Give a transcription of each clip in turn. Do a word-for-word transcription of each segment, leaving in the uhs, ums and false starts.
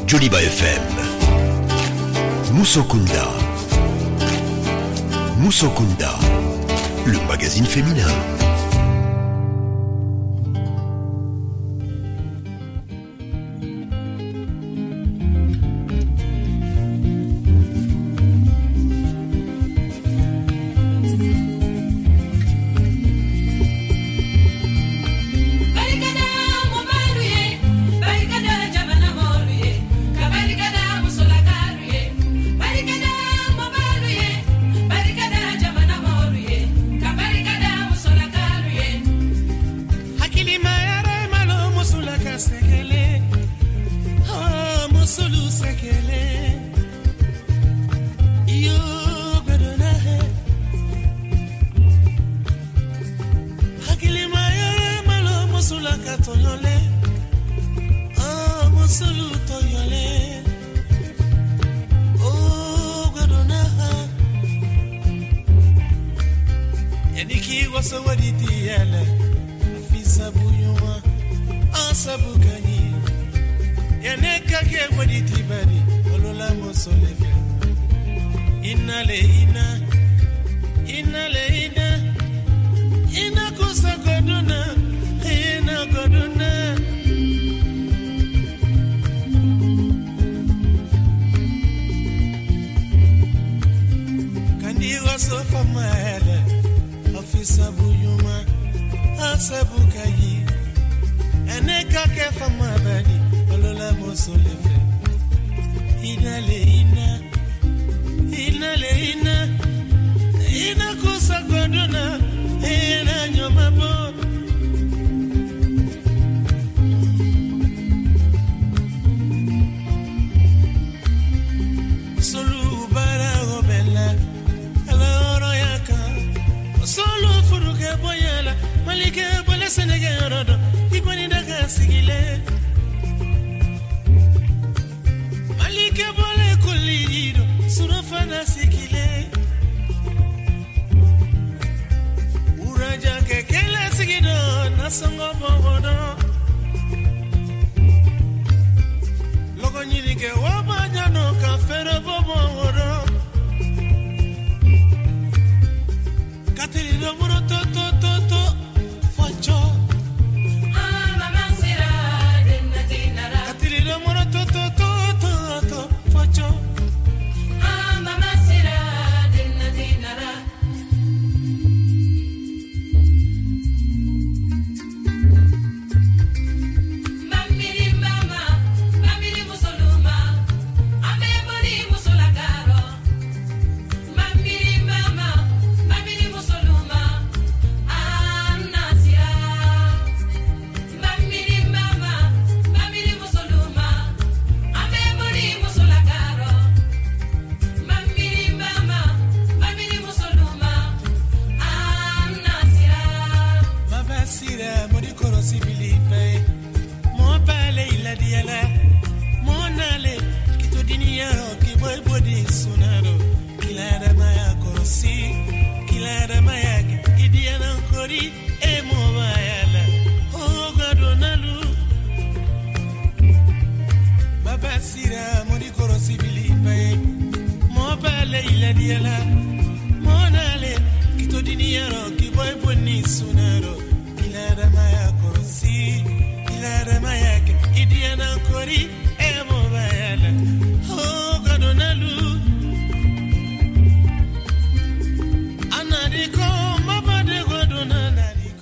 Joliba F M. Musokunda. Musokunda, le magazine féminin.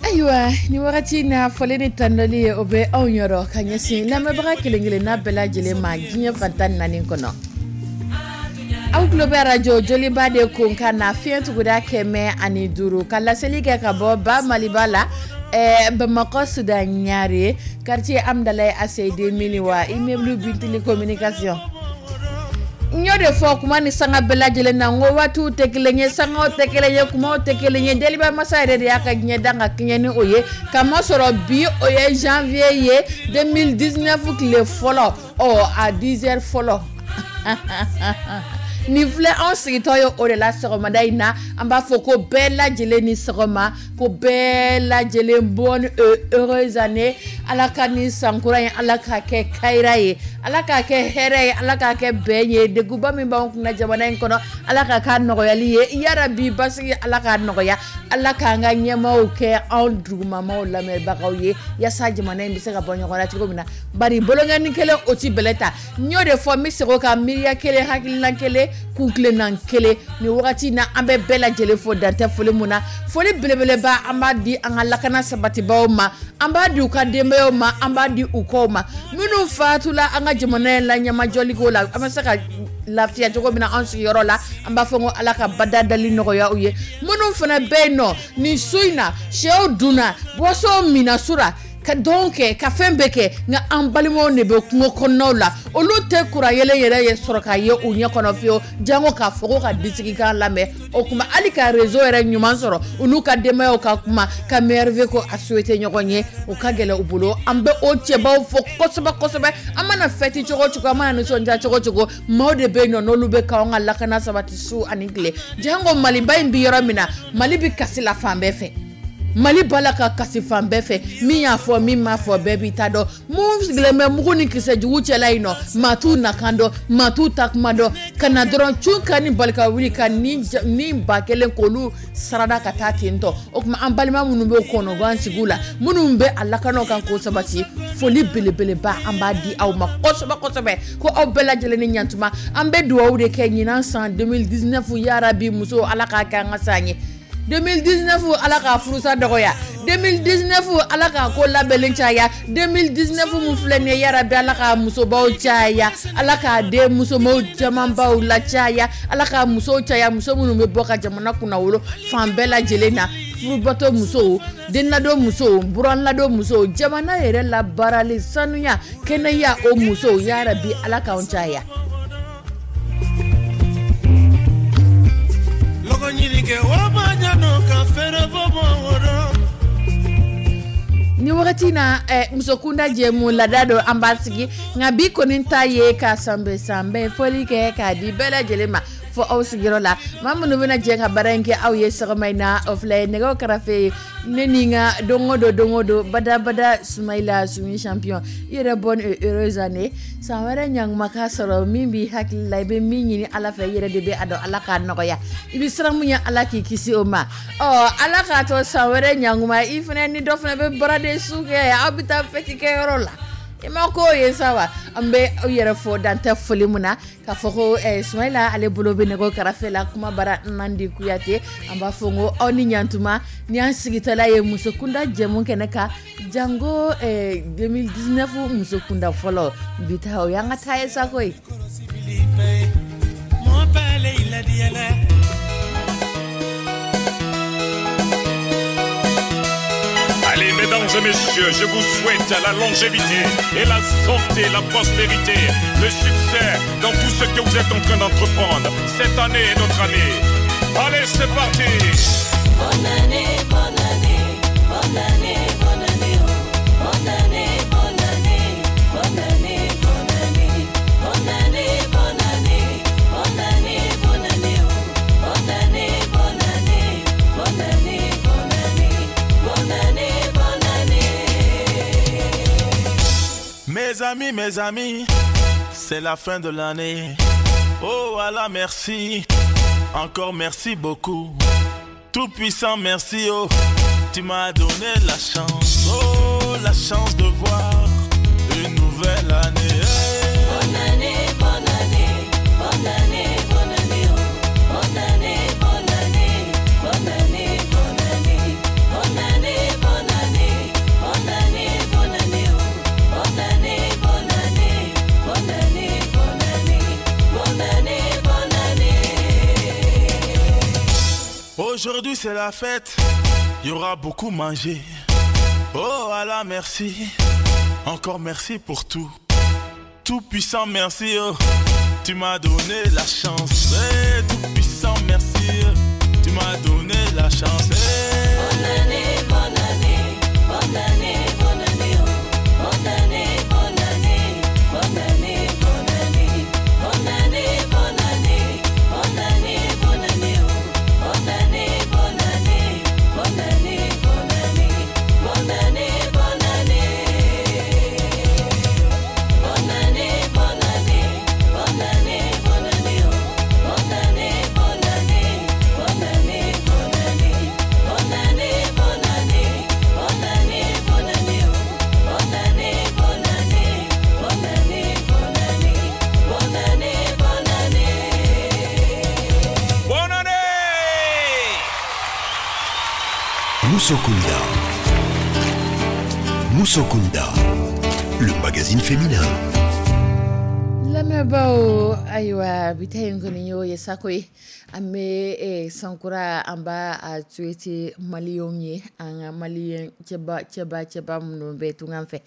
Ayiwa, ni wagati na fɔlen ni tanli ye, o bɛ anw yɔrɔ ka ɲɛsin lamɛnbaga kelen kelenna bɛɛ lajɛlen ma diɲɛ fan tan ni naani kɔnɔ. Aw tulo bɛ arajo Joliba de kunkan na, fiɲɛ tuguda kɛmɛ ani duuru, ka laseli kɛ ka bɔ ba Maliba la, ɛɛ Bamakɔ Sudan Ɲare, quartier Amdalaye A C D Miniwa, immeuble Bintili Communication. N y'o de fɔ kuma ni sanga bɛɛ lajɛlen na, n ko waatiw tɛ kelen ye, sangaw tɛ kelen ye, kumaw tɛ kelen ye. Deliba masa yɛrɛ de y'a ka diɲɛ dan ka kɛɲɛ ni o ye, kamasɔrɔ bi o ye janvier ye deux mille dix-neuf tile fɔlɔ, ɔ a dix heures fɔlɔ nin filɛ. Anw sigitɔ ye o de la sɔgɔmada in na, an b'a fɔ ko bɛɛ lajɛlen ni sɔgɔma, ko bɛɛ lajɛlen bonne et heureuse année. Ala ka ni sankura in, Ala k'a kɛ kayira ye, Ala k'a kɛ hɛrɛ ye, Ala k'a kɛ bɛn ye. Degunba min b'anw kunna jamana in kɔnɔ, Ala k'a k'a nɔgɔyali ye. Yarabi, basigi, Ala k'a nɔgɔya. Ala k'an ka ɲɛmaaw kɛ anw dugumamaw lamɛnbagaw ye, yaasa jamana in bɛ se ka bɔ ɲɔgɔn na cogo min na. Bari boloŋɔni kelen, o ti bɛlɛ ta. N y'o de fɔ, n bɛ segin o kan: miiriya kelen, hakilina kelen, kuntilenna kelen. Nin wagati in na, an bɛ bɛɛ lajɛlen fo, dantɛ foli mun na. Foli belebeleba, an b'a di an ka lakana sabatibaw ma, an b'a di u ka denbayaw ma, an b'a di u kɔw ma, minnu fatula an ka jamana in la ɲɛmajɔliko la, an bɛ se ka lafiya cogo min na an sigiyɔrɔ la. An b'a fɔ ko Ala ka bada dali nɔgɔya u ye. Minnu fana bɛ yen nɔ nin su in na, sɛw dunna, boisson minna su la, ka dɔn kɛ, ka fɛn bɛɛ kɛ, nka an balimaw de bɛ kungo kɔnɔnaw la, olu tɛ kuran yelen yɛrɛ ye sɔrɔ k'a ye u ɲɛ kɔnɔ fiyewu, jango k'a fɔ ko ka disigikan lamɛn. O tuma, hali ka réseau yɛrɛ ɲuman sɔrɔ, u n'u ka denbayaw ka kuma, ka meilleurs ko a souhaiter ɲɔgɔn ye, o ka gɛlɛn u bolo. An bɛ o cɛbaw fo kosɛbɛ kosɛbɛ. An mana fêter cogo o cogo, an mana nisɔndiya cogo o cogo, maaw de bɛ yen nɔ, n'olu bɛ k'anw ka lakana sabati su ani tile. Jango Maliba in bi yɔrɔ min na, Mali bi kasi la fan bɛɛ fɛ, Mali b'a la ka kasi fan bɛɛ fɛ. Min y'a fɔ, min m'a fɔ, bɛɛ b'i ta dɔn. Mun sigilen bɛ mugu ni kisɛ jugu cɛla yen nɔ, maa t'u nakan dɔn, maa t'u ta kuma dɔn. Ka na dɔrɔn cun ka ni bali ka wuli ka ni ni ba kelen k'olu sarada ka taa ten tɔ. O tuma, an balima minnu bɛ kɔnɔgan sigiw la, minnu bɛ a lakanaw kan k'o sabati, foli belebeleba, an b'a di aw ma kosɛbɛ kosɛbɛ, ko aw bɛɛ lajɛlen ni ɲantuma. An bɛ dugawu de kɛ ɲinan san deux mille dix-neuf, yarabi muso, Ala k'a kɛ an ka san ye. deux mille dix-neuf, Ala k'a furusa dɔgɔya. deux mille dix-neuf, Ala k'a ko labɛnlen caya. deux mille dix-neuf mun filɛ nin ye, yarabi, Ala k'a musobaw caya, Ala k'a den musomaw camanbaw la caya, Ala k'a musow caya, muso minnu bɛ bɔ ka jamana kunnawolo fan bɛɛ lajɛlen na: furubato musow, denladon musow, buranladon musow, jamana yɛrɛ labaarali, sanuya, kɛnɛya, o musow, yarabi, Ala k'anw caya. Lɔgɔ ɲini kɛ o ma ɲanɔ ka fɛrɛ bɔ bɔ wɔrɔ. Ni wagati na, eh, musokunda jɛmu lada don, an b'a sigi. Nka bi kɔni ta ye ka sanbɛ sanbɛ fɔli kɛ k'a di bɛɛ lajɛlen ma fɔ aw sigiyɔrɔ la. Maa minnu bɛna jɛ ka baara in kɛ aw ye sɔgɔma in na, o filɛ nɛgɛw kɛrɛfɛ ye, ne ni n ka don o don, don o don, badabada, Sumayila Sumi Champion. I yɛrɛ, bonne et heureuse année. San wɛrɛ ɲanguma k'a sɔrɔ min b'i hakili la, i bɛ min ɲini Ala fɛ, i yɛrɛ de bɛ a dɔn. Ala k'a nɔgɔya. I bɛ siran mun ye, Ala k'i kisi o ma. Ɔ, Ala k'a to san wɛrɛ ɲanguma, i fana ni dɔ fana bɛ baaraden su kɛ, aw bɛ taa fête kɛyɔrɔ la. I ma ko ye sa wa? An bɛ aw yɛrɛ fɔ, dan tɛ foli mun na, k'a fɔ ko eh, Sumayila, ale bolo bɛ nɛgɛw kɛrɛfɛ la, kuma bara Nandi Kuyate. An b'a fɔ ko aw ni ɲantuma. Ni an sigitɔla ye musokunda jɛmu kɛnɛ kan, jango eh, deux mille dix-neuf musokunda fɔlɔ bi ta, o y'an ka taa ye sa koyi. Mɔ bɛɛ i ladiyala. Allez, mesdames et messieurs, je vous souhaite la longévité et la santé, la prospérité, le succès dans tout ce que vous êtes en train d'entreprendre. Cette année est notre année. Allez, c'est parti. Bonne année, bonne année, bonne année, bonne année, oh. Bonne année, bonne année, bonne année, bonne année, bonne année, bonne année, bonne année, bonne année, oh. Bonne année, bonne année, bonne année, bonne année, bonne année, bonne année. Mes amis, mes amis, c'est la fin de l'année. Oh Allah, merci. Encore merci beaucoup. Tout puissant, merci. Oh, tu m'as donné la chance. Oh, la chance de voir une nouvelle année. Bonne année, bonne année, bonne année, bonne année, oh. Bonne année, bonne année, bonne année, bonne année, bonne année, bonne année, bonne année, bonne année, oh. Bonne année, bonne année, bonne année, bonne année, bonne année, bonne année. Aujourd'hui, c'est la fête. Il y aura beaucoup mangé. Oh Allah, merci. Encore merci pour tout. Tout puissant, merci. Oh. Tu m'as donné la chance. Eh, tout puissant, merci. Oh. Tu m'as donné la chance. Eh. Bonne année, bonne année, bonne année, bonne année, oh. Bonne année, bonne année, bonne année, bonne année, bonne année, bonne année, bonne année, bonne année, oh. Bonne année, bonne année, bonne année, bonne année, bonne année, bonne année. Musokunda. Musokunda, le magazine féminin. Lamɛnbaaw, ayiwa, bi ta in kɔni y'o ye sako ye. An bɛ eh, sankura, an b'a a souhaiter maliyɛnw ye, an ka maliyɛn cɛba cɛba cɛba minnu bɛ tungan fɛ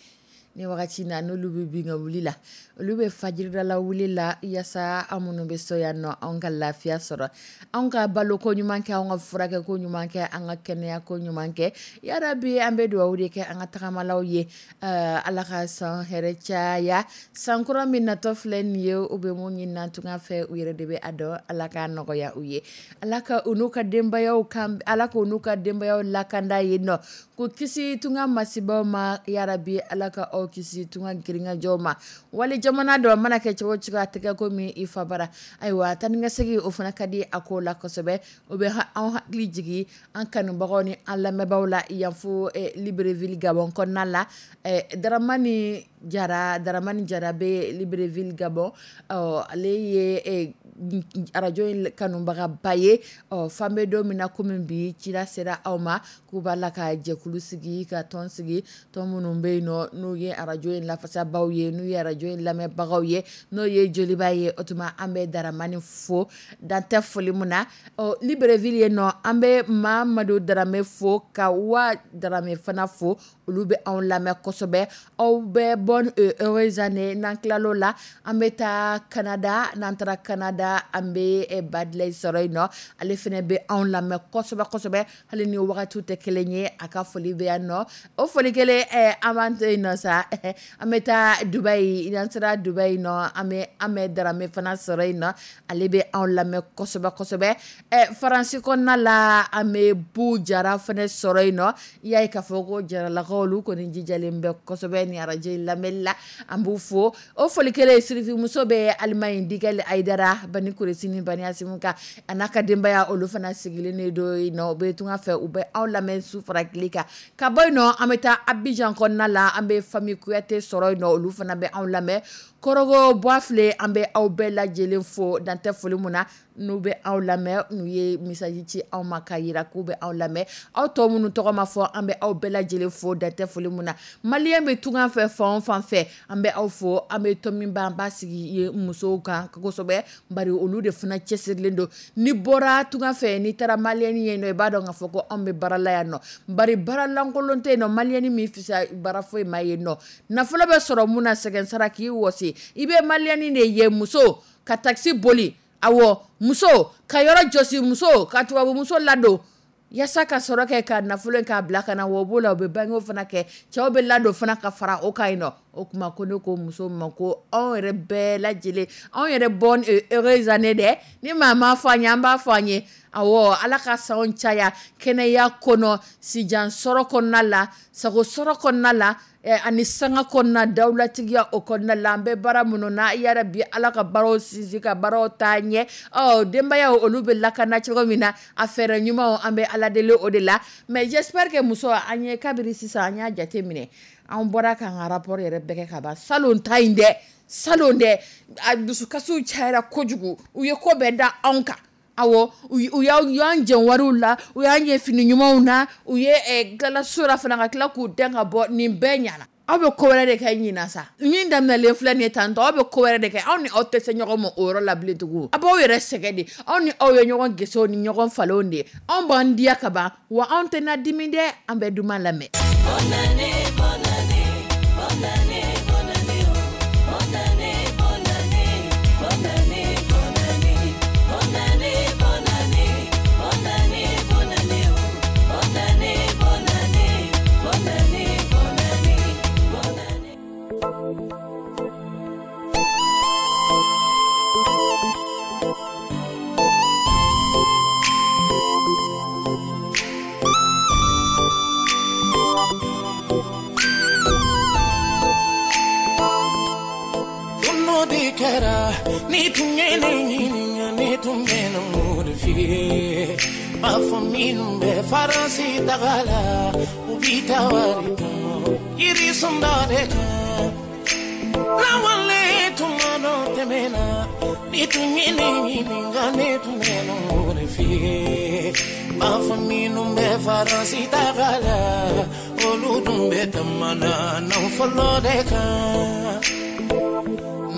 ni wagati na, n'olu bɛ bin ka wuli la, olu bɛ fajiridala wuli la, yaasa an minnu bɛ so yan nɔ, anw ka lafiya sɔrɔ, anw ka baloko ɲuman kɛ, anw ka furakɛko ɲuman kɛ, an ka kɛnɛyako ɲuman kɛ. Yarabi, an bɛ dugawu de kɛ an ka tagamalaw ye, uh, Ala ka san hɛrɛ caya. Sankura min natɔ filɛ nin ye, u bɛ mun ɲini na tunga fɛ, u yɛrɛ de bɛ a dɔn. Ala k'a nɔgɔya u ye, Ala ka u n'u ka denbayaw kan, Ala k'u n'u ka denbayaw lakanda yen nɔ, k'u kisi tunga masibaw ma. Yarabi, Ala ka aw kisi tunga girinkajɔw ma. Wali jamana dɔ mana kɛ cogo cogo, a tɛ kɛ komi i fa bara. Ayiwa, taa ni ka segin, o fana ka di a ko la kosɛbɛ. O bɛ anw hakili jigin an kanubagaw ni an lamɛnbaaw la yan fo eh, Libreville, Gabon kɔnɔna la. eh, Daramani Jara, Daramani Jara bɛ Libreville, Gabon. Ɔ, ale ye eh, arajo in kanubagaba ye. Ɔ, fan bɛ don min na komi bi, cira sera aw ma k'u b'a la ka jɛkulu sigi, ka tɔn sigi, tɔn minnu bɛ yen nɔ, n'u ye arajo in lafasabaw ye, n'u ye arajo in lamɛnbagaw ye, n'o ye Joliba ye. O tuma an bɛ Daramani fo, dan tɛ foli mun na. Ɔ, Libreville yen nɔ, an bɛ Mamadu Darame fo, ka wa Darame fana fo, olu bɛ anw lamɛn kosɛbɛ. Aw bɛɛ, bonne heureuse année. N'an tilal'o la, an bɛ taa Canada. N'an taara Canada, an bɛ Badilɛ sɔrɔ yen nɔ. Ale fana bɛ anw lamɛn kosɛbɛ kosɛbɛ, hali ni wagatiw tɛ kelen ye, a ka foli bɛ yan nɔ. O foli kelen, an b'an to yen nɔ sa, an bɛ taa Dubayi. N'an sera Dubayi nɔ, an bɛ an bɛ Darame fana sɔrɔ yen nɔ, ale bɛ anw lamɛn kosɛbɛ kosɛbɛ. Ɛ, Faransi kɔnɔna la, an bɛ Bu Jara fana sɔrɔ yen nɔ. I y'a ye k'a fɔ ko Jaralakaw, olu kɔni jijalen bɛ kosɛbɛ ni arajo in lamɛnli la, an b'u fo. O foli kelen, sirifimuso bɛ Alimaɲi, Digɛli Ayidara Bani Kuresi ni Bani Asimu kan, a n'a ka denbaya, olu fana sigilen de don yen nɔ, u bɛ tunga fɛ, u bɛ anw lamɛn su fara tile kan. Ka bɔ yen nɔ, an bɛ taa Abidjan kɔnɔna la, an bɛ famille Kuyate sɔrɔ yen nɔ, olu fana bɛ anw lamɛn. Kɔrɔgɔ Buwafile, an bɛ aw bɛɛ lajɛlen fo, dan tɛ foli mun na, n'u bɛ aw lamɛn, n'u ye message ci aw ma k'a yira k'u bɛ aw lamɛn. Aw tɔ minnu tɔgɔ ma fɔ, an bɛ aw bɛɛ lajɛlen fo, dan tɛ foli mun na. Maliyɛn bɛ tunga fɛ fan o fan fɛ, an bɛ aw fo. An bɛ tɔn min ba, an b'a sigi ye musow kan kosɛbɛ, bari olu de fana cɛsirilen don. N'i bɔra tunga fɛ, n'i taara maliyɛn ye nɔ, i b'a dɔn k'a fɔ ko anw bɛ baara la yan nɔ, bari baara lankolon tɛ yen nɔ. Maliyɛn min fisa baara foyi ma yen nɔ, nafolo bɛ sɔrɔ mun na, sɛgɛn sara k'i wɔsi. I bɛ maliyɛn de ye, muso ka takisi boli, awɔ, muso ka yɔrɔ jɔsi, muso ka tubabumuso ladon yaasa ka sɔrɔ kɛ ka nafolo k'a bila ka na. Wa o b'o la, u bɛ bangew fana kɛ, cɛw bɛ ladon fana ka fara o kan yen nɔ. O tuma ko ne ko muso ma ko anw yɛrɛ bɛɛ lajɛlen, anw yɛrɛ, bonne heureuse année dɛ. Ni maa m'a fɔ an ye, an b'a fɔ an ye. Awɔ, Ala ka sanw caya kɛnɛya kɔnɔ, sijan sɔrɔ kɔnɔna la, sago sɔrɔ kɔnɔna la, ani sanga kɔnɔna, dawulatigiya o kɔnɔna la. An bɛ baara minnu na, yarabi, Ala ka baaraw sinsin, ka baaraw taa ɲɛ. Ɔ, denbayaw, olu bɛ lakana cogo min na, a fɛɛrɛ ɲumanw, an bɛ Ala deli o de la. Mais j'espère que muso, an ye kabiri sisan, an y'a jate minɛ, an bɔra k'an ka rapport yɛrɛ bɛɛ kɛ ka ban. Salon ta in dɛ, salon dɛ, a dusukasiw cayara kojugu, u ye ko bɛɛ da anw kan. Awɔ, u y'an jɛn wariw la, u y'an ɲɛ fini ɲumanw na, u ye galaso la fana, ka tila k'u dɛn ka bɔ. Nin bɛɛ ɲɛna, aw bɛ ko wɛrɛ de kɛ ɲinan sa. Min daminɛlen filɛ nin ye tantɔ, aw bɛ ko wɛrɛ de kɛ. Aw ni aw tɛ se ɲɔgɔn ma o yɔrɔ la bilen tugun, a b'aw yɛrɛ sɛgɛn de. Aw ni aw ye ɲɔgɔn gesew ni ɲɔgɔn falenw de ye. Anw b'an diya ka ban, wa anw tɛna dimi dɛ. An bɛ duman lamɛn. Bonne année, bonne année, bonne année, bonne année, oh. Bonne année, bonne année, bonne année, bonne année, bonne année, bonne année, bonne année, bonne année, oh. Bonne année, bonne année, bonne année, bonne année, bonne année. Don de kɛra ni tun ye ne ɲininka, ne tun bɛ na mun de f'i ye? B'a fɔ minnu bɛ Faransi taga la, u bi taa wari tɔmɔ yiri sunda de kan. Lawale tuma dɔ tɛmɛna, ni tun ye ne ɲininka, ne tun bɛ na mun de f'i ye. B'a fɔ minnu bɛ Faransi taga la, olu dun bɛ tamana nafolo de kan.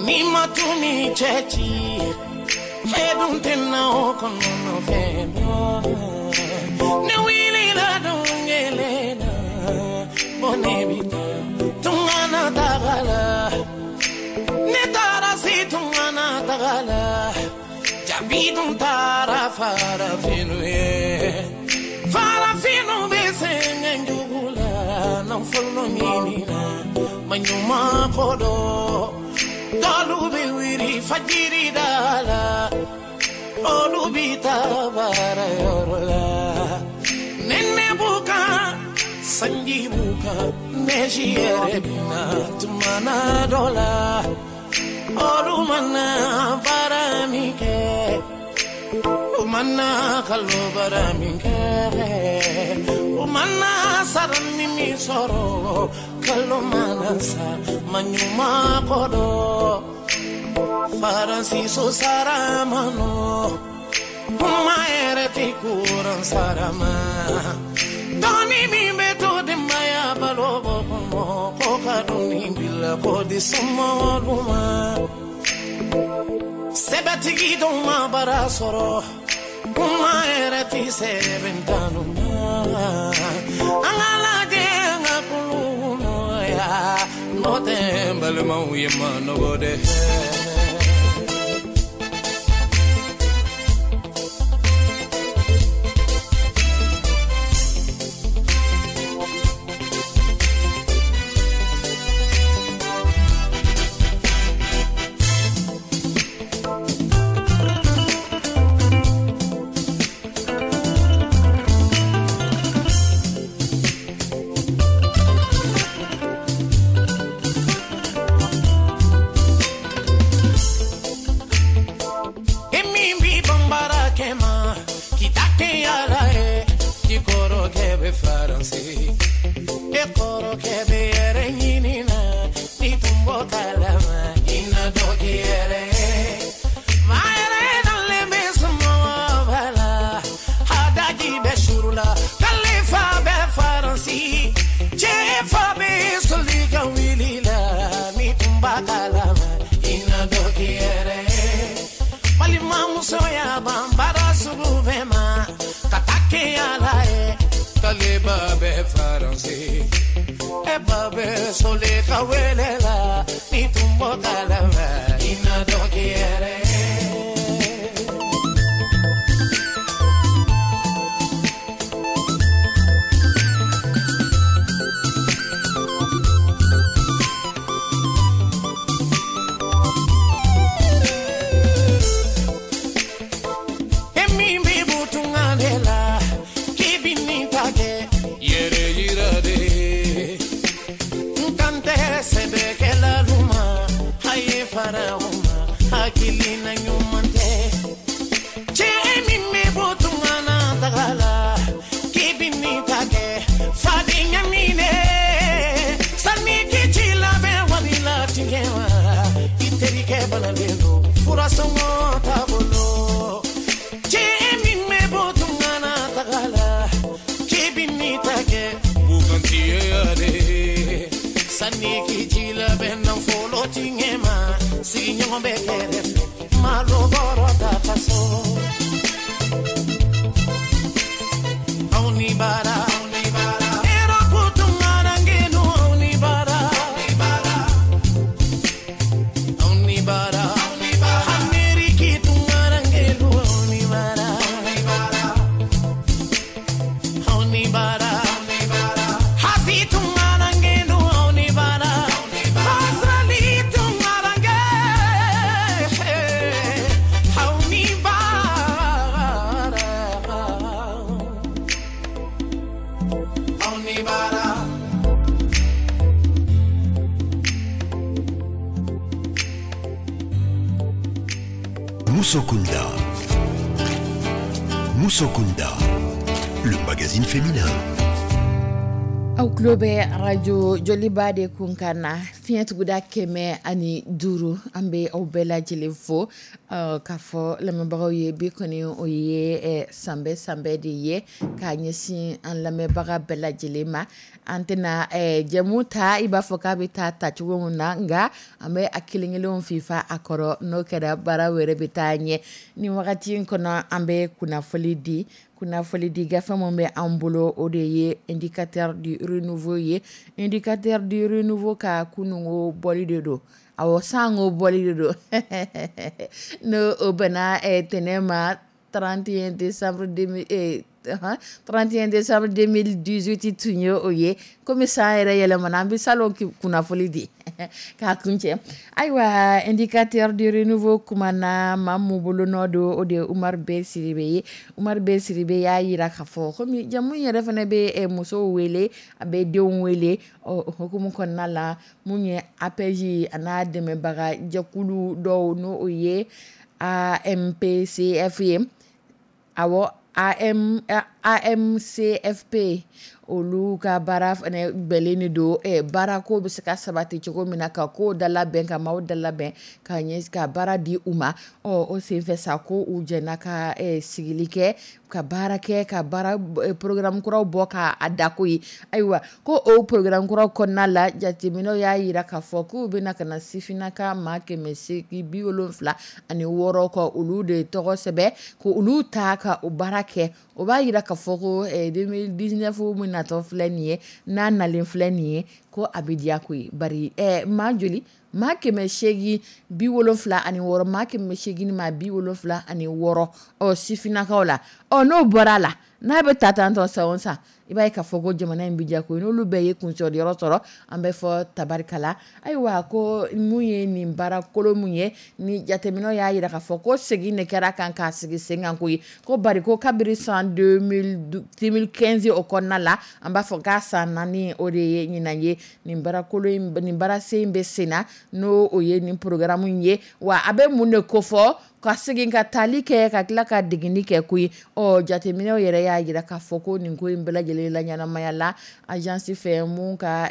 N'i ma tun ni cɛ ci, e dun tɛna o kɔnɔ fɛn dɔn. Ne wulila don kelen na, ko ne bɛ taa tunga na taga la. Ne taara se tunga na taga la, jabi dun taara farafinw ye. Farafinw bɛ sɛgɛn jugu la, nafolo ɲini na, maɲuman ko dɔn. Dɔlu bɛ wuli fajiri da la, olu bɛ taa baara yɔrɔ la. Nɛnɛ b'u kan, sanji b'u kan, nɛji yɛrɛ bɛ na tuma na dɔ la. Olu mana baara min kɛ, u mana kalo baara min kɛ, u mana sara ni min sɔrɔ, kalo mana sa, maɲuman ko dɔn. Faransi so sara ma nɔ, kuma yɛrɛ tɛ kuran sara ma. Dɔɔni min bɛ to denbaya balo bɔ kɔnɔ, ko ka dumuni bila k'o di somɔgɔw ma. Sɛbɛtigi dɔw ma baara sɔrɔ, kuma yɛrɛ tɛ sɛbɛn tanu ma. An ka lajɛ an ka kulun nɔgɔya, n'o tɛ n balimaw ye ma nɔgɔ dɛ. Musokunda. Musokunda, le magazine féminin. Aw tulo bɛ arajo Joliba de kun kan na, fiɲɛ tuguda kɛmɛ ani duuru. An bɛ aw bɛɛ lajɛlen fo k'a fɔ lamɛnbagaw ye, bi kɔni o ye sanbɛ sanbɛ de ye k'a ɲɛsin an lamɛnbaga bɛɛ lajɛlen ma. An tɛna jɛmu ta i b'a fɔ k'a bɛ taa tacogo min na, nka an bɛ a kelen kelen fifa a kɔrɔ, n'o kɛra baara wɛrɛ bɛ taa ɲɛ. Ni wagati in kɔnɔ, an bɛ kunnafoni di. Kunnafoni di gafe min bɛ an bolo, o de ye Indicateur du renouveau ye. Indicateur du renouveau ka kununko bɔli de don, awɔ, sanko bɔli de don, n'o o bɛnna tɛnɛn ma trente et un décembre trente et un décembre deux mille dix-huit tun ye o ye. Komi san yɛrɛ yɛlɛmana, an bɛ salon kunnafoni di k'a kuncɛ. Ayiwa, Indicateur du renouveau kumana maa mun bolonɔ don, o de ye Umaru B Sidibe ye. Umaru B Sidibe y'a yira k'a fɔ komi jamu yɛrɛ fana bɛ musow wele, a bɛ denw wele, ɔ hukumu kɔnɔna la, mun ye A P E J a n'a dɛmɛbaga jɛkulu dɔw, n'o o ye A M P C F ye, awɔ, A M A M C F P, olu ka baara fana bɛnnen de don baarako bɛ se ka sabati cogo min na, ka ko dalabɛn, ka maaw dalabɛn ka ɲɛ ka baara di u ma. Ɔ o senfɛ sa, ko u jɛna ka sigili kɛ, ka baara kɛ, ka baara programme kuraw bɔ k'a dako ye. Ayiwa, ko o programme kuraw kɔnɔna la, jateminɛw y'a jira k'a fɔ k'u bɛna ka na sifinnaka maa kɛmɛ seegin bi wolonfila ani wɔɔrɔ kɔ, olu de tɔgɔ sɛbɛn, ko olu ta ka o baara kɛ. O b'a jira k'a fɔ ko deux mille dix-neuf min natɔ filɛ nin ye, n'a nalen filɛ nin ye, ko a bɛ diya koyi. Bari maa joli? Maa kɛmɛ seegin bi wolonfila ani wɔɔrɔ, maa kɛmɛ seegin maa bi wolonfila ani wɔɔrɔ, ɔ sifinnakaw la. Ɔ n'o bɔra a la, n'a bɛ ta tan tɔ san o san, i b'a ye k'a fɔ ko jamana in bɛ diya koyi. N'olu bɛɛ ye kuncɛyɔrɔ sɔrɔ, an bɛ fɔ tabarikala. Ayiwa, ko mun ye nin baara kolo mun ye ni jateminɛw y'a jira k'a fɔ ko segin de kɛra kan k'a sigi sen kan koyi, ko bari ko kabiri san deux mille quinze o kɔnɔna la, an b'a fɔ k'a san naani o de ye ɲinan ye, nin baara kolo in, nin baara sen in bɛ sen na, n'o o ye nin programme in ye. Wa a bɛ mun de kofɔ? Ka segin ka tali kɛ, ka tila ka degeli kɛ koyi. Ɔ jateminɛw yɛrɛ y'a jira k'a fɔ ko nin ko in bɛɛ lajɛlen la ɲɛnamaya la agence fɛ, mun ka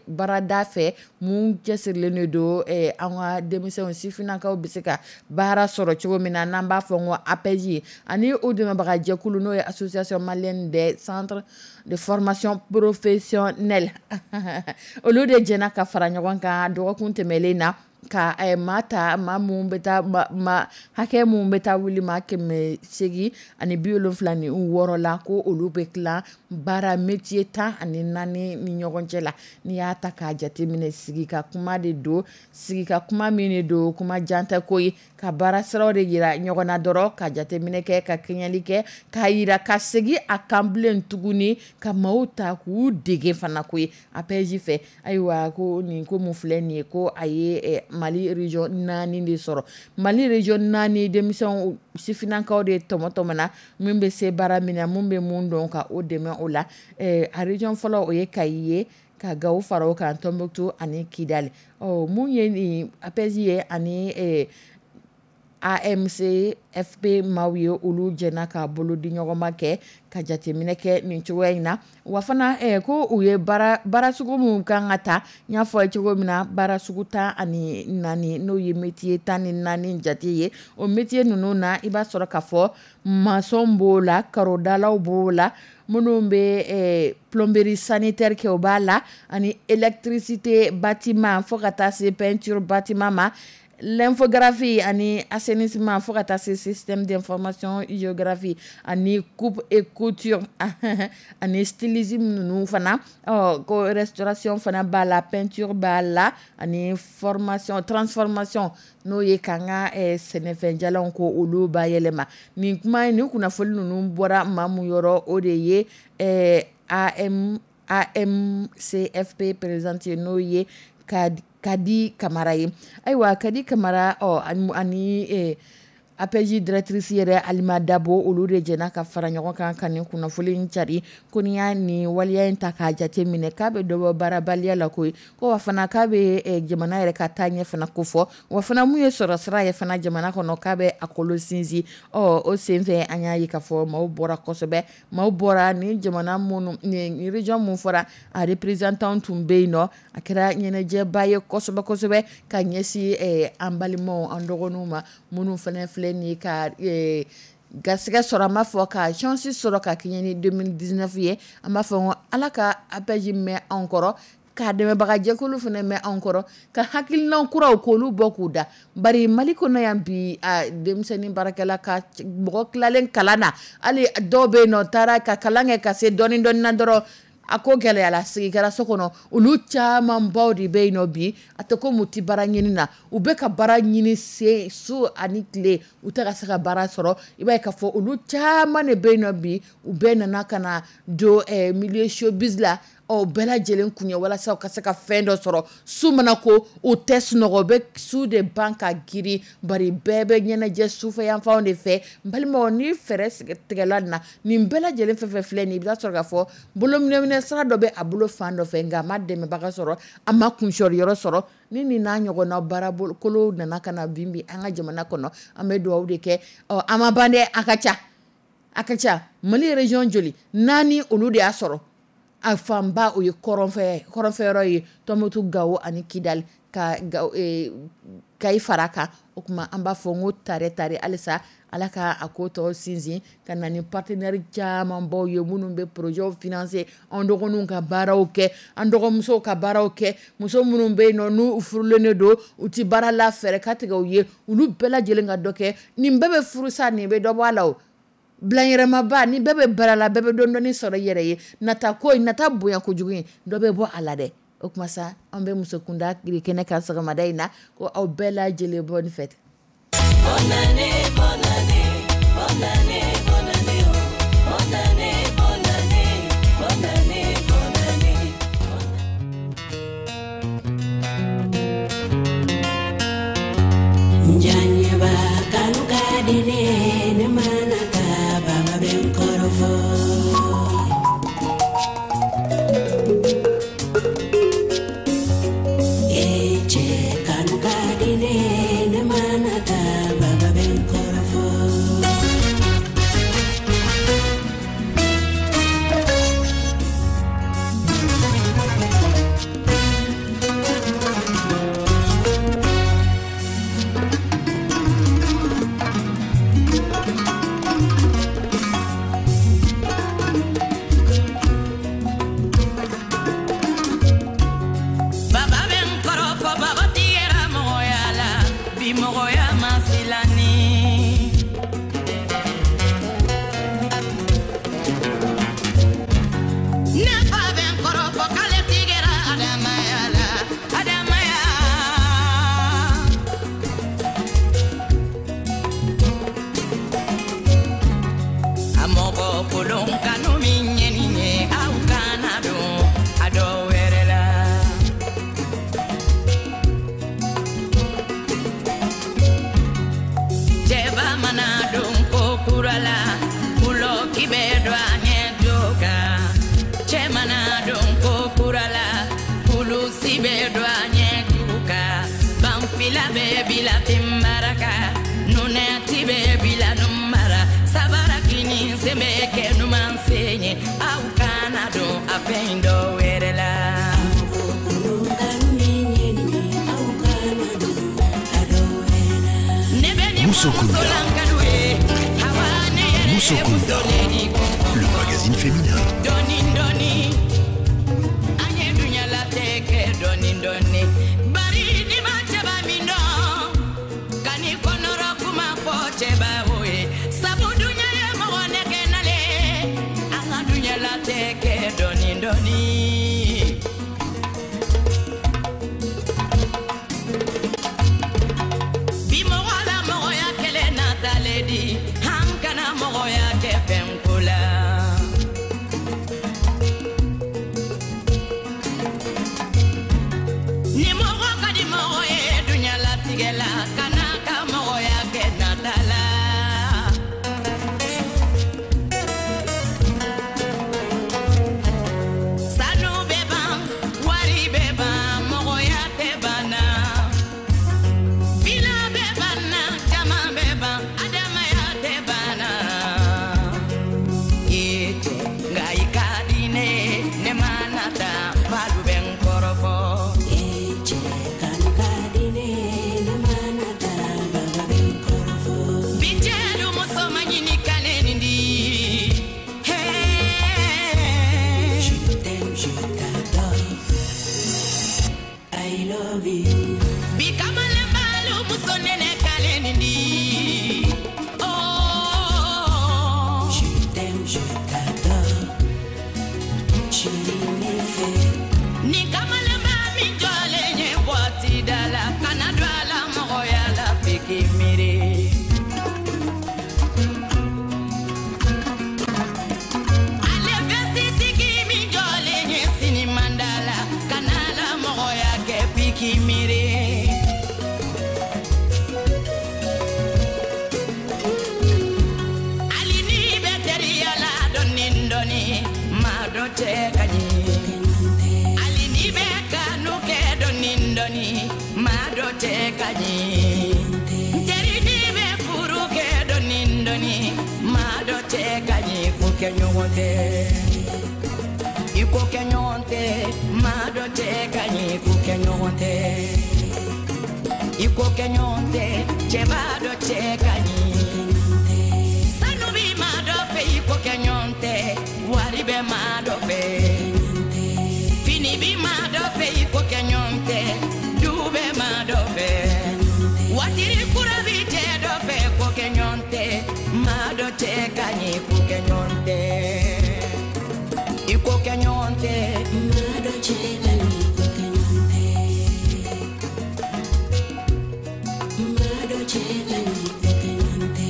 baarada fɛ, mun cɛsirilen de don an ka denmisɛnw sifinnakaw bɛ se ka baara sɔrɔ cogo min na, n'an b'a fɔ ko A P E J, ani o dɛmɛbaga jɛkulu, n'o ye Association malienne des centres de formation professionnelle, olu de jɛna ka fara ɲɔgɔn kan dɔgɔkun tɛmɛnen na, ka maa ta, maa mun bɛ taa, maa hakɛ mun bɛ taa wuli maa kɛmɛ seegin ani bi wolonfila ni wɔɔrɔ la, ko olu bɛ tila baara métier tan ani naani ni ɲɔgɔn cɛ la. N'i y'a ta k'a jateminɛ, sigi ka kuma de don, sigi ka kuma min de don, kuma jan tɛ ko ye, ka baara siraw de yira ɲɔgɔn na dɔrɔn, ka jateminɛ kɛ, ka kɛɲɛli kɛ, k'a yira, ka segin a kan bilen tuguni, ka maaw ta k'u dege fana ko ye A P E J fɛ. Ayiwa, ko nin ko mun filɛ nin ye, ko a ye Mali région naani de sɔrɔ. Mali région naani denmisɛnw sifinnakaw de tɔmɔ tɔmɔna, min bɛ se baara min na, mun bɛ mun dɔn, ka o dɛmɛ o la. A région fɔlɔ, o ye Kayi ye, ka Gawo fara o kan, Tɔnbukutu ani Kidali. Ɔ mun ye nin A P E J ye ani A M C F P maaw ye, olu jɛna ka bolo di ɲɔgɔnma kɛ ka jateminɛ kɛ nin cogoya in na. Wa fana ko u ye baara baara sugu min kan ka ta, n y'a fɔ cogo min na, baara sugu tan ani naani, n'o ye métier tan ni naani jate ye. O métier ninnu na, i b'a sɔrɔ k'a fɔ maçon b'o la, karodalaw b'o la, minnu bɛ plomberie sanitaire kɛ, o b'a la, ani électricité bâtiment, fo ka taa se peinture bâtiment ma, l'infographie ani assainissement, fo ka taa se système d'information géographie, ani coupe et couture, ani stylisme ninnu fana. Ɔ ko restauration fana b'a la, peinture b'a la, ani formation transformation, n'o ye k'an ka sɛnɛfɛnjalanw ko olu bayɛlɛma. Nin kuma in, nin kunnafoni ninnu bɔra maa mun yɔrɔ, o de ye A M A M C F P présidente ye, n'o ye Kadi Kamara ye. Ayiwa, Kadi Kamara, ɔ ani A P E J directrice yɛrɛ Alima Dabo, olu de jɛna ka fara ɲɔgɔn kan ka nin kunnafoni in cari. Ko n'i y'a nin waleya in ta k'a jate minɛ, k'a bɛ dɔ bɔ baarabaliya la koyi, ko wa fana k'a bɛ jamana yɛrɛ ka taa ɲɛ fana ko fɔ, wa fana mun ye sɔrɔ sira ye fana jamana kɔnɔ, k'a bɛ a kolo sinsin. Ɔ o senfɛ, an y'a ye k'a fɔ maaw bɔra kosɛbɛ, maaw bɔra ni jamana minnu ni région mun fɔra, a représentant tun bɛ yen nɔ. A kɛra ɲɛnajɛba ye kosɛbɛ kosɛbɛ ka ɲɛsin an balimaw, an dɔgɔninw ma, minnu fana filɛ nin ye ka garisɛgɛ sɔrɔ, an b'a fɔ ka chance sɔrɔ ka kɛɲɛ ni deux mille dix-neuf ye. An b'a fɔ ko Ala ka A P E J mɛn anw kɔrɔ, ka dɛmɛbagajɛkulu fana mɛn anw kɔrɔ, ka hakilina kuraw k'olu bɔ k'u da. Bari Mali kɔnɔ yan bi, a denmisɛnnin baarakɛla ka mɔgɔ tilalen kalan na, hali dɔw bɛ yen nɔ taara ka kalan kɛ ka se dɔɔni dɔɔni na dɔrɔn, a ko gɛlɛyara, sigi kɛra so kɔnɔ. Olu camanbaw de bɛ yen nɔ bi. A tɛ ko mu tɛ baara ɲini na, u bɛ ka baara ɲini se su ani tile, u tɛ ka se ka baara sɔrɔ. I b'a ye k'a fɔ olu caman de bɛ yen nɔ bi. U bɛɛ nana ka na don milieu showbiz la. Ɔ bɛɛ lajɛlen kun ye walasa u ka se ka fɛn dɔ sɔrɔ. Su mana ko, u tɛ sunɔgɔ, u bɛ su de ban ka girin, bari bɛɛ bɛ ɲɛnajɛ sufɛ yanfanw de fɛ. N balimaw, ni fɛɛrɛ tigɛla nin na, nin bɛɛ lajɛlen fɛn fɛn filɛ nin ye, i bɛ taa sɔrɔ k'a fɔ bolominɛminɛ sira dɔ bɛ a bolo fan dɔ fɛ, nka a ma dɛmɛbaga sɔrɔ, a ma kuncɛyɔrɔ sɔrɔ. Ni nin n'a ɲɔgɔnna baarabolo nana ka na bin bi an ka jamana kɔnɔ, an bɛ dugawu de kɛ. Ɔ an ma ban dɛ, a ka ca, a ka ca. Mali région joli? Naani, olu de y'a sɔrɔ. A fanba o ye kɔrɔnfɛ kɔrɔnfɛyɔrɔ ye, Tɔnbukutu, Gawo ani Kidali, ka Kayi fara kan. O tuma an b'a fɔ n ko tare tare, halisa Ala ka a ko tɔ sinsin ka na ni partenaire camanbaw ye minnu bɛ projet financer, an dɔgɔninw ka baaraw kɛ, an dɔgɔmusow ka baaraw kɛ, muso minnu bɛ yen nɔ n'u furulen de don, u ti baara la, fɛɛrɛ ka tigɛ u ye, olu bɛɛ lajɛlen ka dɔ kɛ. Nin bɛɛ bɛ furusa, nin bɛ dɔ bɔ a la. O bilanyɛrɛmaba ni bɛɛ bɛ baara la, bɛɛ bɛ dɔɔni dɔɔni sɔrɔ i yɛrɛ ye. Nata ko in, nata bonya kojugu in, dɔ bɛ bɔ a la dɛ. O tuma sa, an bɛ muso kunda kɛnɛ kan sɔgɔmada in na, ko aw bɛɛ lajɛlen, bonne fête. Bonne année, bonne année, bonne année, bonne année, oh. Bonne année, bonne année, bonne année, bonne année. Njanyeba kanu ka di ne, ne mana taa baba bɛ n kɔrɔfɔ. E cɛ kanu ka di ne, ne mana taa baba bɛ n kɔrɔfɔ. Baba bɛ n kɔrɔfɔ, baba tigɛra mɔgɔya la, bi mɔgɔya ma silani. Ne fa bɛ n kɔrɔfɔ k'ale tigɛra adamaya la, adamaya. A mɔgɔ kolon kanu min ye nin ye, aw kana don a dɔ wɛrɛ la. Cɛba mana don ko kura la, kulɔki bɛ don a ɲɛ jo kan. Cɛ mana don ko kura la, kulusi bɛ don a ɲɛ ju kan. Banfila bɛ bila tenbaraka, nunɛti bɛ bila numara, sabara kini sen bɛ kɛ numan sen ye, aw kana don a fɛn dɔ wɛrɛ la. Ne bɛ nin Muso fɔ Kunda. musolankalu ye, hawa ne yɛrɛ ye Muso Kunda. muso le ni ko Le magazine féminin. Dɔɔni dɔɔni, an ye dunyalatigɛ kɛ dɔɔni dɔɔni, bari ni ma cɛba min dɔn ka n'i kɔnɔrɔ kuma fɔ cɛba o ye, sabu dunya ye mɔgɔ nɛgɛ nale, an ka dunyalatigɛ kɛ dɔɔni dɔɔni. Bi mɔgɔ la mɔgɔya kɛlɛ natale di, an kana mɔgɔya kɛ fɛn ko la. nin di. Oh. Je t'aime, je t'adore, chérie ne fɛ. Ni kamalenba min jɔlen ye boîte da la, kana don a la mɔgɔya la f'i k'i miiri. Ale vɛsitigi min jɔlen ye sinimanda la, kana la mɔgɔya kɛ f'i k'i miiri. Hali n'i bɛ teriya la dɔɔni dɔɔni, maa dɔ cɛ ka ɲi. Hali n'i bɛ kanu kɛ dɔɔni dɔɔni, maa dɔ cɛ ka ɲi. N teri n'i bɛ furu kɛ dɔɔni dɔɔni, maa dɔ cɛ ka ɲi. Ko kɛ ɲɔgɔn tɛ, i ko kɛ ɲɔgɔn tɛ, maa dɔ cɛ ka ɲi. Ko kɛ ɲɔgɔn tɛ, i ko kɛ ɲɔgɔn tɛ, cɛba dɔ cɛ ka ɲi. Sanu bi maa dɔ fɛ, i ko kɛ ɲɔgɔn tɛ, wari bɛ maa dɔ fɛ. Fini bi maa dɔ fɛ, i ko kɛ ɲɔgɔn tɛ, du bɛ maa dɔ fɛ. Watiri kura bi cɛ dɔ fɛ, ko kɛ ɲɔgɔn tɛ, maa dɔ cɛ ka ɲi. Ko kɛ ɲɔgɔn tɛ, i ko kɛ ɲɔgɔn tɛ, Maa dɔ cɛ ka ɲi, ko kɛ ɲɔgɔn tɛ. Maa dɔ cɛ ka ɲi, ko kɛ ɲɔgɔn tɛ.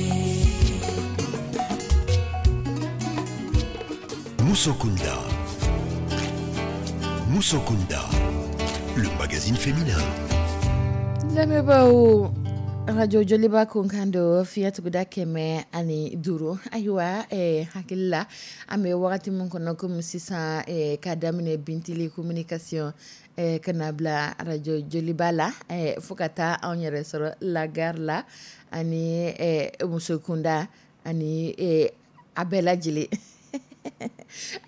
Musokunda. Musokunda, le magazine féminin. Lamɛnbaaw, radio Joliba kunkan don fiɲɛ tuguda kɛmɛ ani duuru. Ayiwa, eh, hakili la an bɛ wagati min kɔnɔ komi sisan, eh, ka daminɛ Bintili communication, eh, ka na bila radio Joliba la, eh, fo ka taa anw yɛrɛ sɔrɔ la gare la ani, eh, Musokunda ani, eh, a bɛɛ lajɛlen.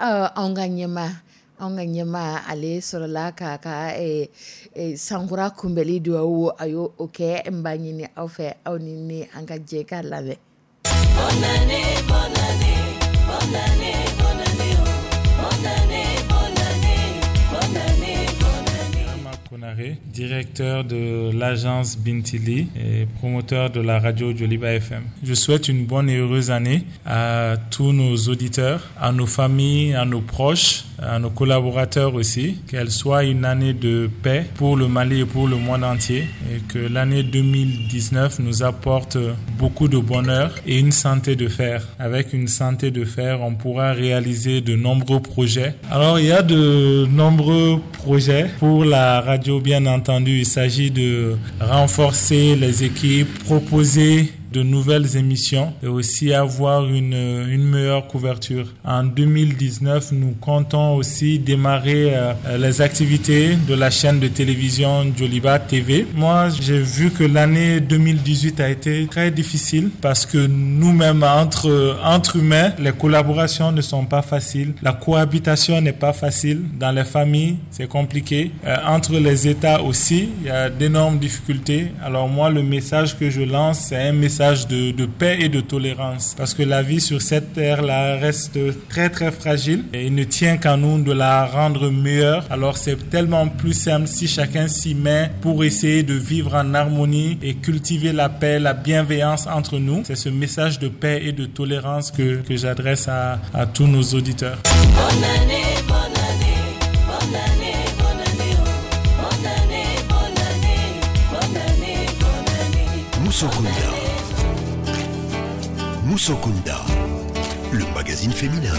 Ɔ, anw ka ɲɛma anw ka ɲɛma ale sɔrɔla k'a ka, eh, eh, sankura kunbɛli duwawu, a y'o o kɛ. N b'a ɲini aw fɛ, aw ni ne an ka jɛ k'a lamɛn. Bonne année, bonne année, bonne année, bonne année, oh. Bonne année, bonne année, bonne année, bonne année. Rama Konaré, directeur de l'agence Bintili et promoteur de la radio Joliba F M. Je souhaite une bonne et heureuse année à tous nos auditeurs, à nos familles, à nos proches, à nos collaborateurs aussi. Qu'elle soit une année de paix pour le Mali et pour le monde entier et que l'année deux mille dix-neuf nous apporte beaucoup de bonheur et une santé de fer. Avec une santé de fer, on pourra réaliser de nombreux projets. Alors, il y a de nombreux projets pour la radio, bien entendu. Il s'agit de renforcer les équipes, proposer de nouvelles émissions et aussi avoir une, une meilleure couverture. En deux mille dix-neuf, nous comptons aussi démarrer, euh, les activités de la chaîne de télévision Joliba T V. Moi, j'ai vu que l'année deux mille dix-huit a été très difficile parce que nous-mêmes, entre, entre humains, les collaborations ne sont pas faciles. La cohabitation n'est pas facile. Dans les familles, c'est compliqué. Euh, entre les États aussi, il y a d'énormes difficultés. Alors moi, le message que je lance, c'est un message de, de paix et de tolérance, parce que la vie sur cette terre-là reste très très fragile et il ne tient qu'à nous de la rendre meilleure. Alors c'est tellement plus simple si chacun s'y met pour essayer de vivre en harmonie et cultiver la paix, la bienveillance entre nous. C'est ce message de paix et de tolérance que, que j'adresse à, à tous nos auditeurs. Bonne année, bonne année, bonne année, bonne année, oh. Bonne année, bonne année, bonne année, bonne année. Musokunda. Musokunda, le magazine féminin.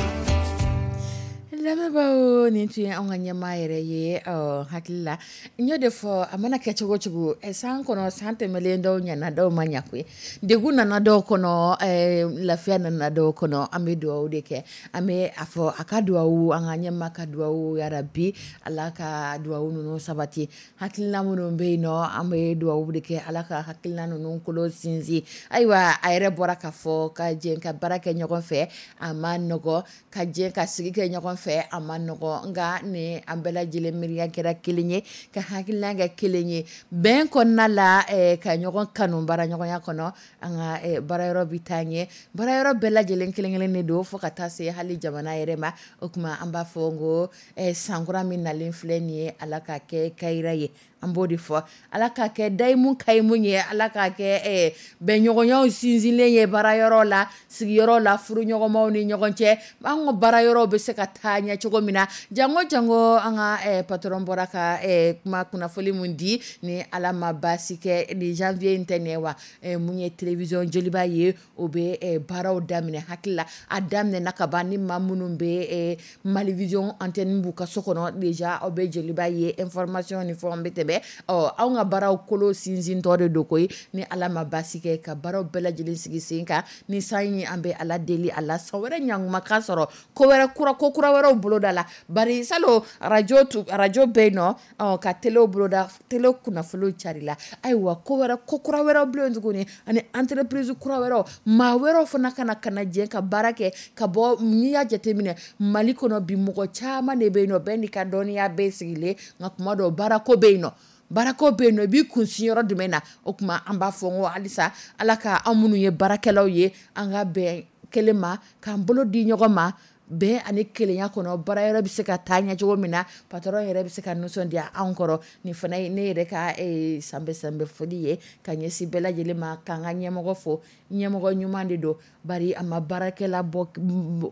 Lamɛnbaaw, nin tun ye anw ka ɲɛmaa yɛrɛ ye, ɔ, hakili la. N y'o de fɔ, a mana kɛ cogo cogo, ɛ, san kɔnɔ, san tɛmɛlen dɔw ɲɛna, dɔw ma ɲa koyi. Degun nana dɔw kɔnɔ, ɛ, lafiya nana dɔw kɔnɔ. An bɛ dugawu de kɛ. An bɛ a fɔ a ka dugawu, an ka ɲɛmaa ka dugawu, yarabi Ala ka dugawu ninnu sabati. Hakilina minnu bɛ yen nɔ, an bɛ dugawu de kɛ, Ala ka hakilina ninnu kolo sinsin. Ayiwa, a yɛrɛ bɔra k'a fɔ ka jɛ ka baara kɛ ɲɔgɔn fɛ, a ma nɔgɔ, ka jɛ ka sigi kɛ ɲɔgɔn fɛ. fɛ, a ma nɔgɔ, nka ni an bɛɛ lajɛlen miiriya kɛra kelen ye, ka hakilina kɛ kelen ye bɛn kɔnɔna la, ka ɲɔgɔn kanu baaraɲɔgɔnya kɔnɔ, an ka baarayɔrɔ bɛ taa ɲɛ. Baarayɔrɔ bɛɛ lajɛlen kelen kelen de don, fo ka taa se hali jamana yɛrɛ ma. O tuma an b'a fɔ n ko sankura min nalen filɛ nin ye, Ala ka kɛ kayira ye. An b'o de fɔ, Ala ka kɛ dayimu kayimu ye, Ala ka kɛ bɛnɲɔgɔnyaw sinsinlen ye baarayɔrɔ la, sigiyɔrɔ la, furuɲɔgɔnmaw ni ɲɔgɔn cɛ. An ka baarayɔrɔw bɛ se ka taa ɲɛ cogo min na. Jango jango an ka patron bɔra ka kuma kunnafoni mun di, ni Ala ma baasi kɛ, ni janvier in tɛ nin ye wa, mun ye télévision Joliba ye, o bɛ baaraw daminɛ. Hakili la a daminɛna ka ban. Ni maa minnu bɛ Malivision antenne b'u ka so kɔnɔ déjà, aw bɛ Joliba ye, information ni fɛnw bɛ tɛmɛ. Ɔ, anw ka baaraw kolo sinsin tɔ de don koyi. Ni Ala ma baasi kɛ, ka baaraw bɛɛ lajɛlen sigi sen kan, ni san ye, an bɛ Ala deli a la san wɛrɛ ɲankuma ka sɔrɔ ko wɛrɛ kura, ko kura wɛrɛw boloda la. Bari salon arajo arajo bɛ yen nɔ, ka telew boloda, tele kunnafoniw carila. Ayiwa, ko wɛrɛ, ko kura wɛrɛw bilen tuguni, ani entreprise kura wɛrɛw, maa wɛrɛw fana ka na ka na jɛ ka baara kɛ ka bɔ. N'i y'a jateminɛ Mali kɔnɔ bi, mɔgɔ caman de bɛ yen nɔ, bɛɛ n'i ka dɔnniya bɛɛ sigilen, nka kuma dɔw baarako bɛ yen nɔ, baarako bɛ yen nɔ, i b'i kun sin yɔrɔ jumɛn na? O tuma an b'a fɔ n ko halisa Ala ka an minnu ye baarakɛlaw ye, an ka bɛn kelen ma, k'an bolo di ɲɔgɔn ma bɛn ani kelenya kɔnɔ, baarayɔrɔ bɛ se ka taa ɲɛ cogo min na, patron yɛrɛ bɛ se ka nisɔndiya anw kɔrɔ. Nin fana ye ne yɛrɛ ka sanbɛ sanbɛ foli ye ka ɲɛsin bɛɛ lajɛlen ma, k'an ka ɲɛmɔgɔ fo. Ɲɛmɔgɔ ɲuman de don, bari a ma baarakɛla bɔ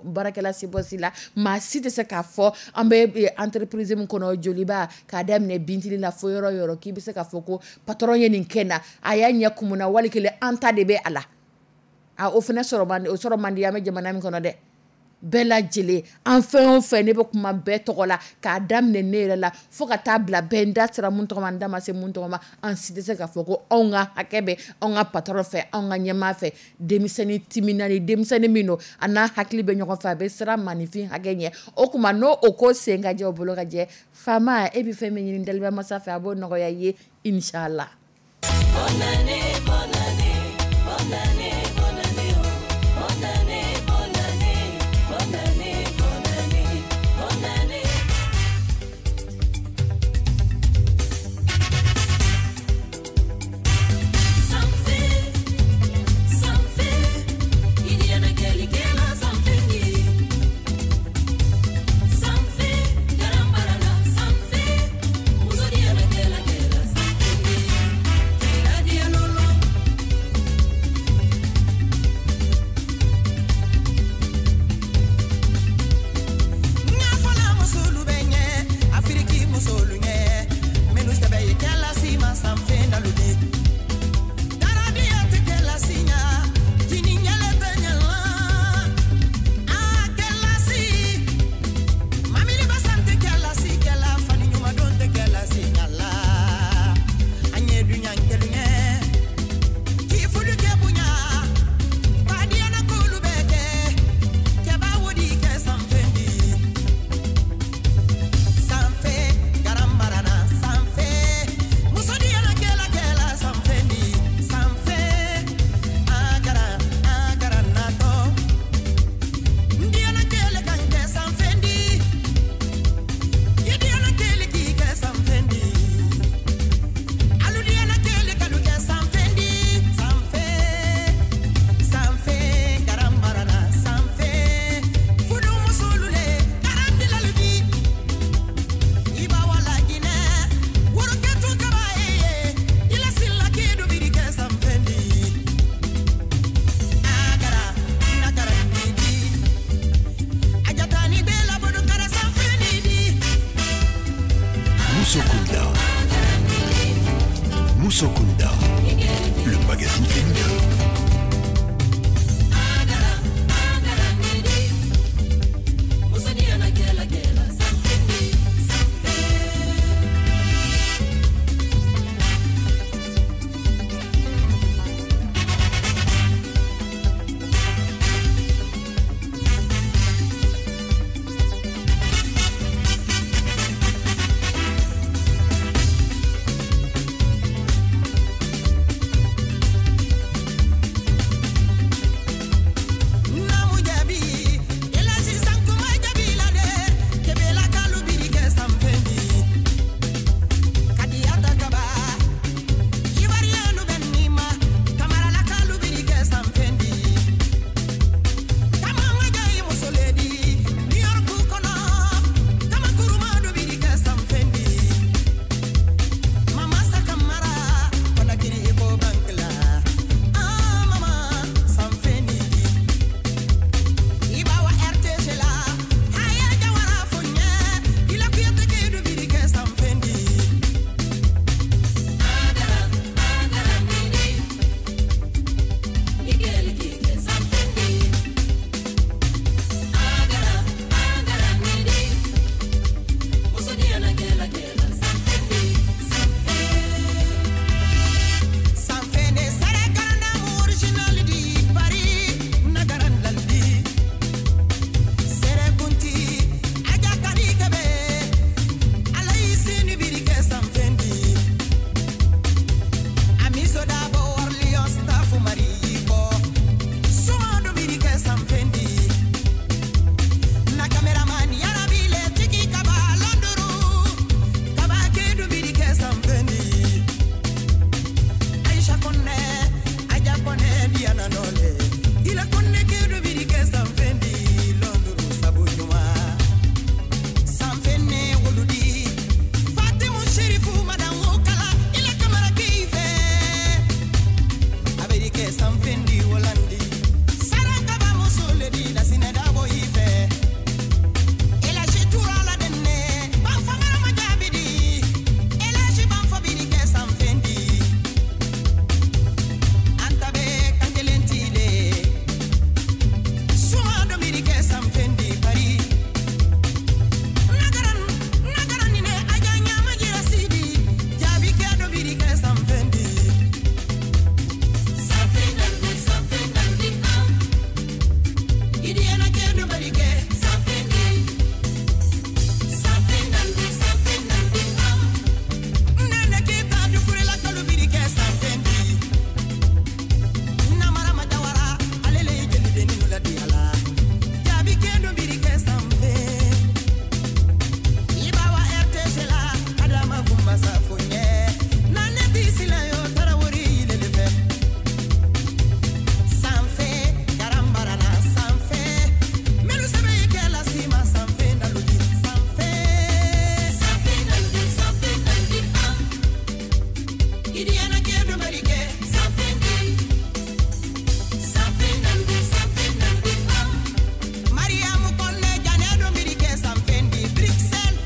baarakɛla si bɔ si la. Maa si tɛ se k'a fɔ an bɛ entreprise min kɔnɔ Joliba, k'a daminɛ Bintili la fo yɔrɔ yɔrɔ, k'i bɛ se k'a fɔ ko patron ye nin kɛ na, a y'a ɲɛ kumun na, wali kelen an ta de bɛ a la. A o fana sɔrɔ man di, o sɔrɔ man di an bɛ jamana min kɔnɔ dɛ. Bɛɛ lajɛlen, an fɛn o fɛn, ne bɛ kuma bɛɛ tɔgɔ la, k'a daminɛ ne yɛrɛ la fo ka taa bila bɛɛ, n da sera mun tɔgɔ ma, n da ma se mun tɔgɔ ma, an si tɛ se k'a fɔ ko anw ka hakɛ bɛ anw ka patron fɛ, anw ka ɲɛmaa fɛ. Denmisɛnnin timinani, denmisɛnnin min don, a n'a hakili bɛ ɲɔgɔn fɛ, a bɛ siran maninfin hakɛ ɲɛ. O tuma n'o o ko sen ka jɛ, o bolo ka jɛ, faama e bɛ fɛn min ɲini daliba masa fɛ, a b'o nɔgɔya i ye, inshallah. Bonne année, bonne année, bonne année, bonne année, oh. Bonne année, bonne année, bonne année, bonne année, bonne année. Sanfɛ, sanfɛ, i diɲɛna kɛlikɛla sanfɛ ye. Sanfɛ, jarambarala sanfɛ, muso diɲɛna kɛla kɛla sanfɛ ye. Kɛla diya lolo. Idiyana nɔlɛ ila konne kedo biri kɛ sanfɛn di lɔnduru sabu ɲuman sanfɛn ne wolodi Fatimu Sherifu madan o kala ila kamara k'i fɛ a bɛ kɛ sanfɛn di wolandi Sarakaba muso le di Lasinɛ Dabo i fɛ Elaji tura la denne Banfa marama jaabi di Elaji Banfa biri kɛ sanfɛn di Anta bɛ kan kelen tile Suma dɔ biri kɛ sanfɛn di Paris Nagaran nagaran ni ne aja ɲama jira sidi jaabi kɛ dɔ biri kɛ sanfɛn di Sanfɛ naludi, sanfɛ naludi, ah. Idiyana kɛ dɔ bari kɛ Sanfɛ di. Sanfɛ naludi, sanfɛ naludi, ah. Nene keta dukurela kalu biri kɛ sanfɛn di Namara majawara ale le ye jelidenni nu ladi a la jaabi kɛ dɔ biri kɛ sanfɛn Ibawa R T G la Adama Kumba Safo ɲɛ na ne ti sila yo tarawori yilele fɛ sanfɛ karambarana sanfɛ melu sɛbɛ ye kɛ lasima sanfɛ naludi sanfɛ Sanfɛ naludi, sanfɛ naludi, ah. Idiyana kɛ dɔ bari kɛ Sanfɛ di. Sanfɛ naludi, sanfɛ naludi, ah. Mariamu Kɔnɛ Janɛ dɔ biri kɛ sanfɛ di Bruxelles.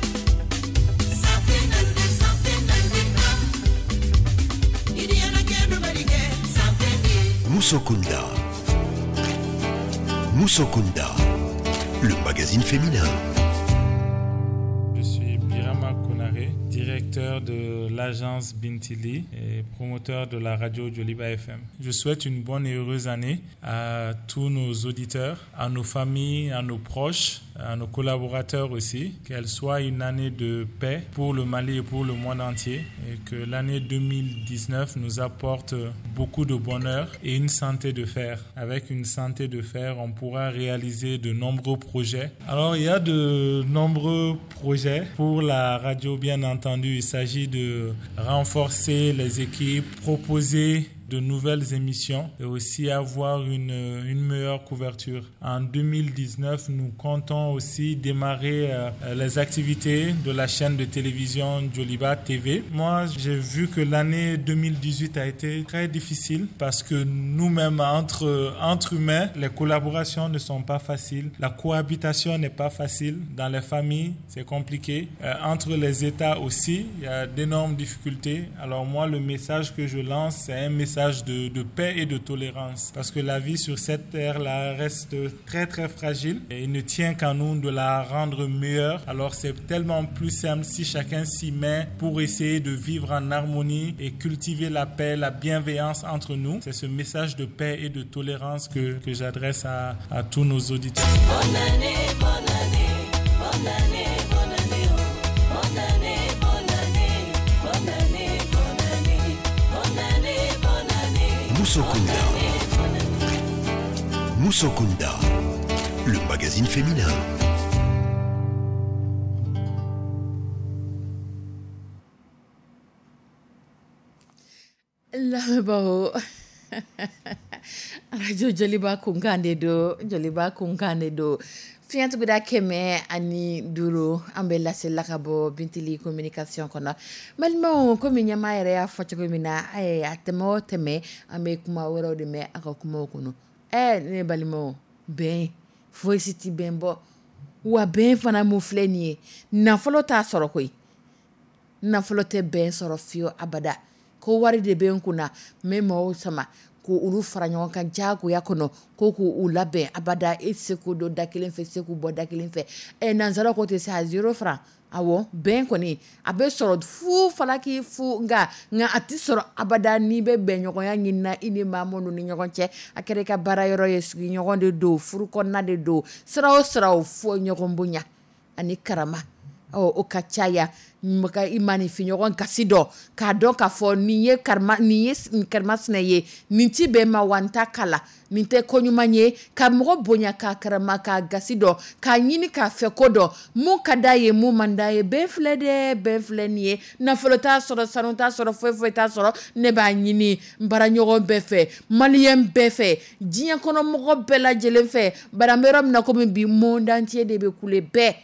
Sanfɛ naludi, sanfɛ naludi, ah. Idiyana kɛ dɔ bari kɛ Sanfɛ di. Musokunda. Musokunda, le magazine féminin. Je suis Birama Konaré, directeur de l'agence Bintili et promoteur de la radio Joliba F M. Je souhaite une bonne et heureuse année à tous nos auditeurs, à nos familles, à nos proches, à nos collaborateurs aussi. Qu'elle soit une année de paix pour le Mali et pour le monde entier et que l'année deux mille dix-neuf nous apporte beaucoup de bonheur et une santé de fer. Avec une santé de fer, on pourra réaliser de nombreux projets. Alors, il y a de nombreux projets pour la radio, bien entendu. Il s'agit de renforcer les équipes, proposer de nouvelles émissions et aussi avoir une, une meilleure couverture. En deux mille dix-neuf, nous comptons aussi démarrer euh, les activités de la chaîne de télévision Joliba T V. Moi, j'ai vu que l'année deux mille dix-huit a été très difficile parce que nous-mêmes, entre, entre humains, les collaborations ne sont pas faciles. La cohabitation n'est pas facile. Dans les familles, c'est compliqué. Euh, entre les États aussi, il y a d'énormes difficultés. Alors moi, le message que je lance, c'est un message de, de paix et de tolérance. Parce que la vie sur cette terre-là reste très très fragile et il ne tient qu'à nous de la rendre meilleure. Alors c'est tellement plus simple si chacun s'y met pour essayer de vivre en harmonie et cultiver la paix, la bienveillance entre nous. C'est ce message de paix et de tolérance que, que j'adresse à, à tous nos auditeurs. Bonne année, bonne année, bonne année, bonne année, oh. Bonne année, bonne année, bonne année, bonne année, bonne année, bonne année. Musokunda. Musokunda, le magazine féminin. Lamɛnbaaw, arajo Joliba kunkan de don, Joliba kunkan de don, fiɲɛtuguda kɛmɛ ani duuru. An bɛ lasela ka bɔ Bintili Communication kɔnɔ. Balimaw, komi ɲɛmaa yɛrɛ y'a fɔ cogo min na, a tɛmɛ o tɛmɛ, an bɛ kuma wɛrɛw de mɛn a ka kumaw kɔnɔ. Ɛɛ ne balimaw, bɛn foyi si tɛ bɛn bɔ wa. Bɛn fana mun filɛ nin ye, nafolo t'a sɔrɔ koyi. Nafolo tɛ bɛn sɔrɔ fiyewu abada. Ko wari de bɛ n kunna, n bɛ maaw sama ko olu fara ɲɔgɔn kan diyagoya kɔnɔ ko k'u labɛn, abada e tɛ se k'u don da kelen fɛ, se k'u bɔ da kelen fɛ. Ɛ nanzara ko tɛ se a zéro franc. Awɔ, bɛn kɔni a bɛ sɔrɔ fu falaki fu, nka nka a tɛ sɔrɔ abada n'i bɛ bɛnɲɔgɔnya ɲini na i ni maa minnu ni ɲɔgɔn cɛ. A kɛra i ka baara yɔrɔ ye, sigiɲɔgɔn de don, furu kɔnɔna de don, sira o sira o, fo ɲɔgɔn bonya ani karama. Ɔ, o ka caya mɔgɔ i maaninfinɲɔgɔn gasi dɔn, k'a dɔn k'a fɔ nin ye karima, nin ye karimasina ye, nin ti bɛn ma, wa n ta kala, nin tɛ ko ɲuman ye, ka mɔgɔ bonya, k'a karama, k'a gasi dɔn, k'a ɲini k'a fɛ ko dɔn, mun ka d'a ye, mun man d'a ye. Bɛn filɛ dɛ, bɛn filɛ nin ye, nafolo t'a sɔrɔ, sanu t'a sɔrɔ, foyi foyi t'a sɔrɔ. Ne b'a ɲini n baaraɲɔgɔn bɛɛ fɛ, maliyɛn bɛɛ fɛ, diɲɛ kɔnɔ mɔgɔ bɛɛ lajɛlen fɛ. Bari an bɛ yɔrɔ min na komi bi, monde entier de bɛ kule, bɛɛ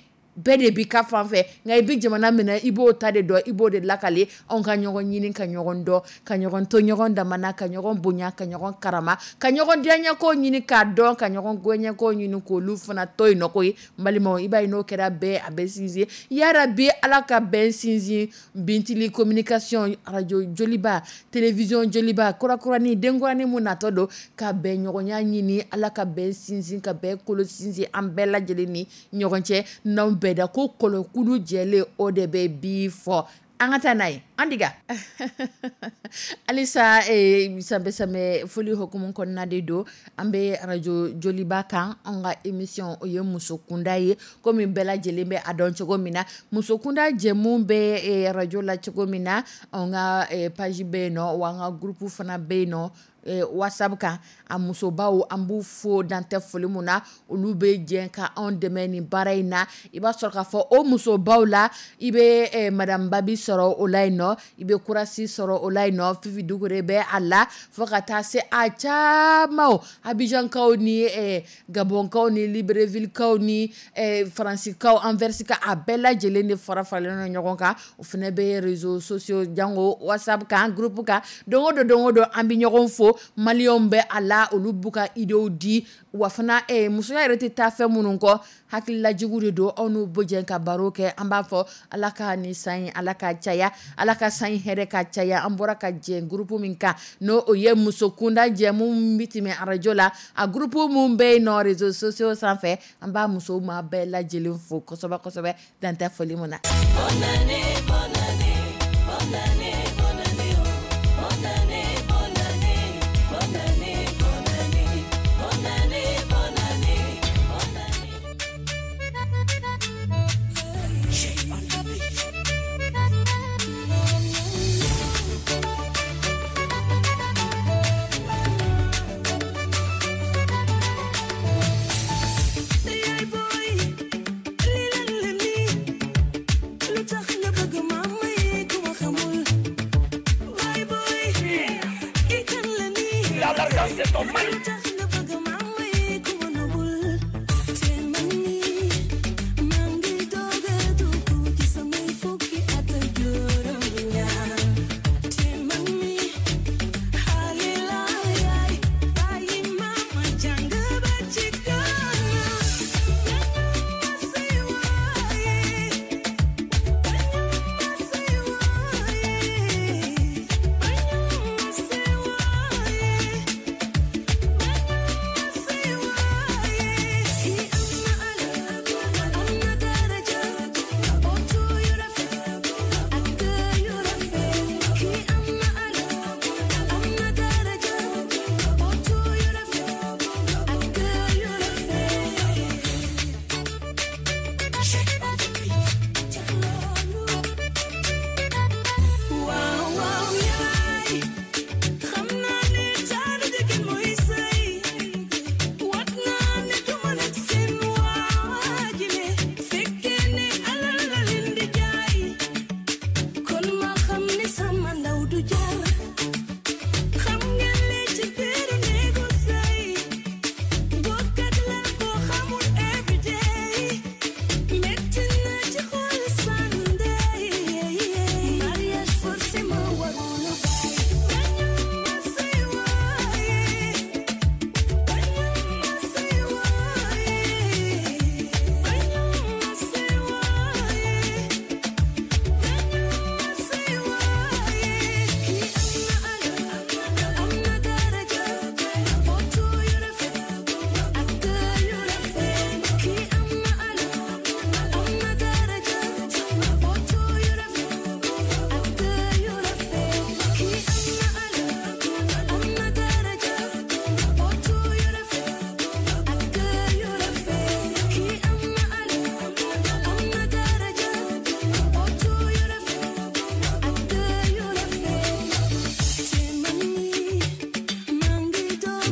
bɛɛ de b'i ka fan fɛ, nka i bɛ jamana minɛ, i b'o ta de dɔn, i b'o de lakale. Anw ka ɲɔgɔn ɲini, ka ɲɔgɔn dɔn, ka ɲɔgɔn to ɲɔgɔn damana, ka ɲɔgɔn bonya, ka ɲɔgɔn karama, ka ɲɔgɔn diyaɲɛko ɲini k'a dɔn, ka ɲɔgɔn goɲɛko ɲini k'olu fana to yen nɔ. Ko ye n balimaw, i b'a ye n'o kɛra bɛɛ a bɛ sinsin. Yarabi, Ala ka bɛn sinsin. Bintili Communication, radio Joliba, télévision Joliba, kurakurani, denkuranin mun natɔ don, ka bɛn ɲɔgɔnya ɲini, Ala ka bɛn sinsin, ka bɛn kolo sinsin an bɛɛ lajɛlen ni ɲɔgɔn cɛ. N'anw bɛɛ da ko kɔlɔkulu jɛlen, o de bɛ bi fɔ. An ka taa n'a ye an diga halisa. Sanbɛ sanbɛ foli hukumu kɔnɔna de don, an bɛ arajo Joliba kan. An ka émission, o ye muso kunda ye. Komi bɛɛ lajɛlen bɛ a dɔn cogo min na, muso kunda jɛmu bɛ arajo la cogo min na, an ka page bɛ yen nɔ, wa an ka groupe fana bɛ yen nɔ WhatsApp kan. A musobaw, an b'u fo dan tɛ foli mun na, olu bɛ jɛ ka anw dɛmɛ nin baara in na. I b'a sɔrɔ k'a fɔ o musobaw la, i bɛ madame Babi sɔrɔ o la yen nɔ, i bɛ Kurasi sɔrɔ o la yen nɔ, Fifi Dukure bɛ a la, fo ka taa se a caman, Abidjankaw ni Gabɔnkaw ni Librevillekaw ni Faransikaw, Anvers ka, a bɛɛ lajɛlen de fara faralen ɲɔgɔn kan. O fana bɛ réseaux sociaux, jango WhatsApp kan, groupe kan. Don o don, don o don, an bɛ ɲɔgɔn fo. Maliyɛnw bɛ a la, olu b'u ka idéew di, wa fana musoya yɛrɛ tɛ taa fɛn minnu kɔ, hakililajugu de don, aw n'u bɛ jɛ ka baro kɛ. An b'a fɔ Ala ka nin san in, Ala ka caya, Ala ka san in hɛrɛ ka caya. An bɔra ka jɛ groupe min kan, n'o o ye muso kunda jɛmu min bɛ tɛmɛ arajo la, a groupe mun bɛ yen nɔ réseaux sociaux sanfɛ, an b'a musow ma bɛɛ lajɛlen fo kosɛbɛ kosɛbɛ, dan tɛ foli mun na. Bonne année, bonne année, bonne année, bonne année, oh. Bonne année, bonne année, bonne année, bonne année, bonne année, bonne année, bonne année. Shake on the beat. Yaay booy, lii lan la nii? Lu tax nga bëgg ma may ku ma xamul?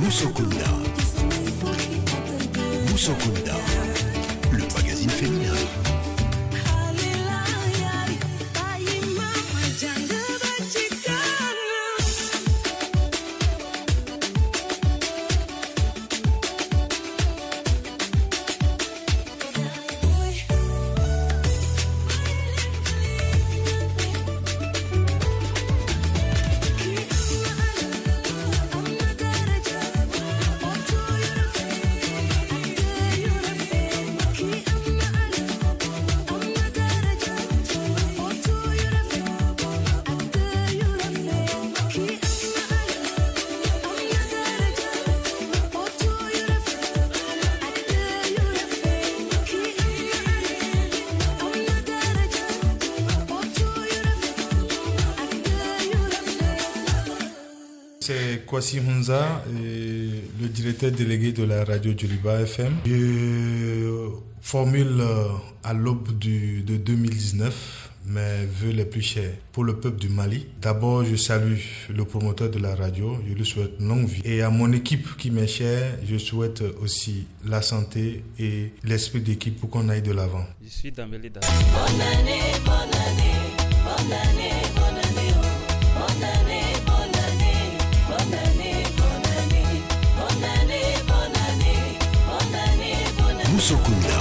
Moussokunda. Moussokunda, le magazine féminin. C'est Kwasi Hunza, le directeur délégué de la radio Djoliba F M. Je formule à l'aube du, de deux mille dix-neuf mes vœux les plus chers pour le peuple du Mali. D'abord, je salue le promoteur de la radio, je lui souhaite longue vie. Et à mon équipe qui m'est chère, je souhaite aussi la santé et l'esprit d'équipe pour qu'on aille de l'avant. Je suis Dambélé Dada. Bonne année, bonne année, bonne année, bonne année, bonne année, bonne année, bonne année, bonne année, bonne année, bonne année, bonne année, bonne année. Moussokunda.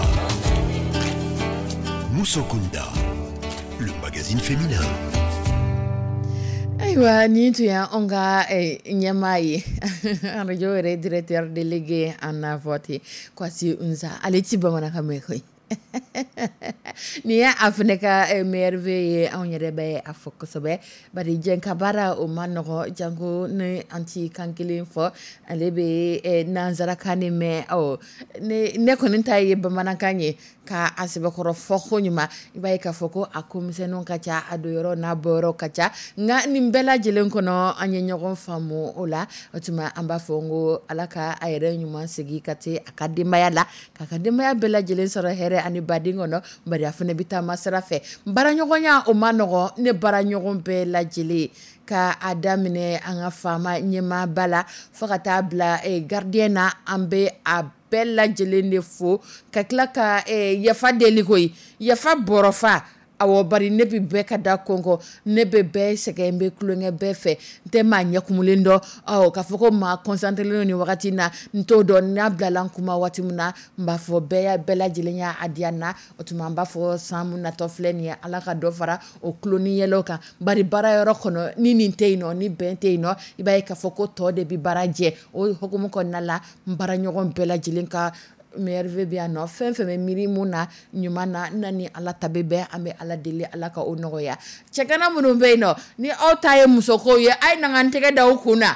Moussokunda, le magazine féminin. Ayiwa, nin tun y'anw ka ɲɛmaa ye, radio yɛrɛ directeur délégué en vote Kwasi Hunza, ale ti bamanankan mɛn koyi. Nin ye a fana ka merveille ye, anw yɛrɛ bɛ a fɔ kosɛbɛ, bari jɛn ka baara o ma nɔgɔ, janko ni an ti kan kelen fɔ, ale bɛ nanzarakan de mɛn. Ɔ ne ne kɔni ta ye bamanankan ye ka a sɛbɛkɔrɔ fɔ ko ɲuman, i b'a ye k'a fɔ ko a ko misɛnninw ka ca, a don yɔrɔ n'a bɔ yɔrɔ ka ca, nka nin bɛɛ lajɛlen kɔnɔ an ye ɲɔgɔn faamu o la. O tuma an b'a fɔ n ko Ala ka a yɛrɛ ɲuman segin ka se a ka denbaya la, k'a ka denbaya bɛɛ lajɛlen sɔrɔ hɛrɛ ani baden kɔnɔ, bari a fana bɛ taama sira fɛ. Baaraɲɔgɔnya o ma nɔgɔn, ne baaraɲɔgɔn bɛɛ lajɛlen, ka a daminɛ an ka faama ɲɛmaaba la fo ka taa bila gardien na, an bɛ a bɛɛ lajɛlen de fo, ka tila ka yafa deli koyi, yafa bɔrɔfa. Awɔ, bari ne bɛ bɛɛ ka da kɔnkɔ, ne bɛ bɛɛ sɛgɛn, n bɛ tulonkɛ bɛɛ fɛ, n tɛ maa ɲɛkumulen dɔn. Ɔ k'a fɔ ko maa concentré len don nin wagati in na, n t'o dɔn. N'a bilala n kuma waati min na, n b'a fɔ bɛɛ bɛɛ lajɛlen y'a diya n na. O tuma an b'a fɔ san mun natɔ filɛ nin ye, Ala ka dɔ fara o tulo ni yɛlɛw kan, bari baara yɔrɔ kɔnɔ ni nin tɛ yen nɔ, ni bɛn tɛ yen nɔ, i b'a ye k'a fɔ ko tɔ de bɛ baara jɛ. O hukumu kɔnɔna la, n baaraɲɔgɔn bɛɛ lajɛlen ka merveille bɛ yan nɔ, fɛn fɛn bɛ miiri mun na ɲuman na, na ni Ala ta bɛ bɛn, an bɛ Ala deli Ala ka o nɔgɔya. Cɛgana minnu bɛ yen nɔ, ni aw ta ye musoko ye, a ye na n tɛgɛ da aw kun na.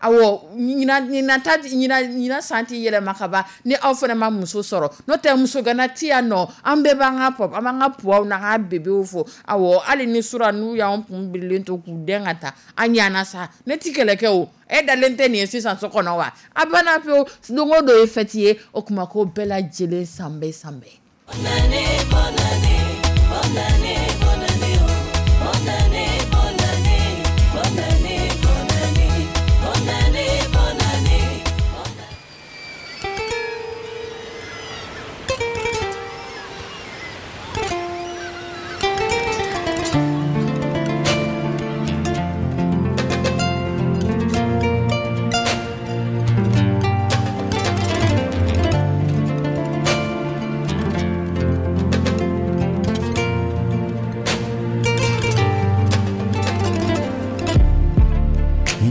Awɔ, ɲinan ɲinan ta ɲinan ɲinan san ti yɛlɛma ka ban ni aw fana ma muso sɔrɔ, n'o tɛ musogana ti yan nɔ, an bɛɛ b'an ka pɔp, an b'an ka puwaw n'an ka bebew fo. Awɔ, hali ni sura n'u y'anw kun birilen to k'u dɛn ka taa, an ɲana sa, ne ti kɛlɛ kɛ o. E dalen tɛ nin ye sisan so kɔnɔ wa? A banna pewu, don o don ye fɛti ye, o tuma ko bɛɛ lajɛlen san bɛɛ san bɛɛ. Bonne année, bonne année, bonne année, bonne année, bonne année, bonne année, bonne année, bonne année, bonne année, bonne année.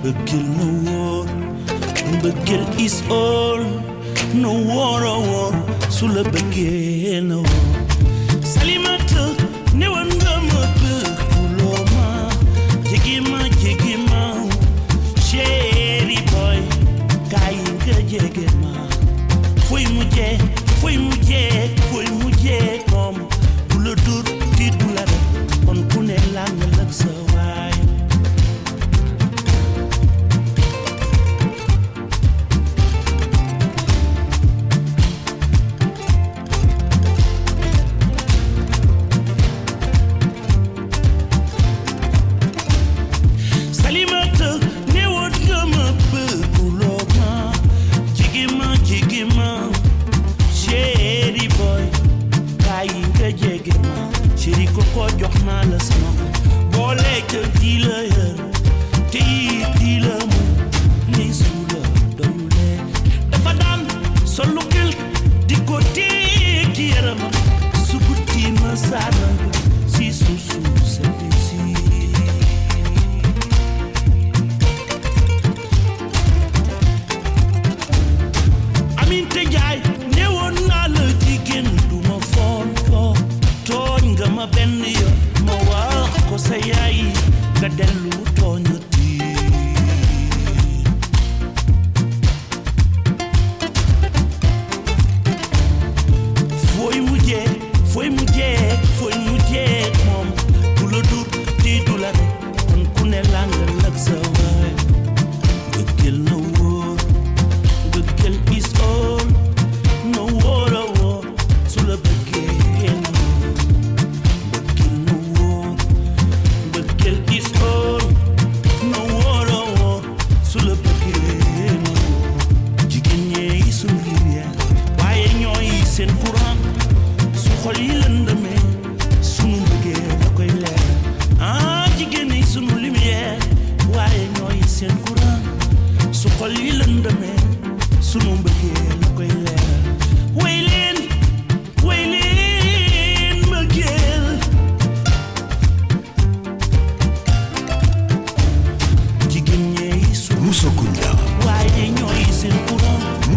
Mbëggeel na wóor, mbëggeel is all, na wóor a wóor, su la bëggee na wóor. Salimata, newoon nga ma bëgguloo ma, jege ma jege ma, chéri boy, kaay nga jege ma. Fooy mujjee, fooy mujjee, fooy mujjee moom, du la dur tiit du la rek, kon ku ne làng ak sa waay. Salimata, newoon nga ma bëgguloo ma,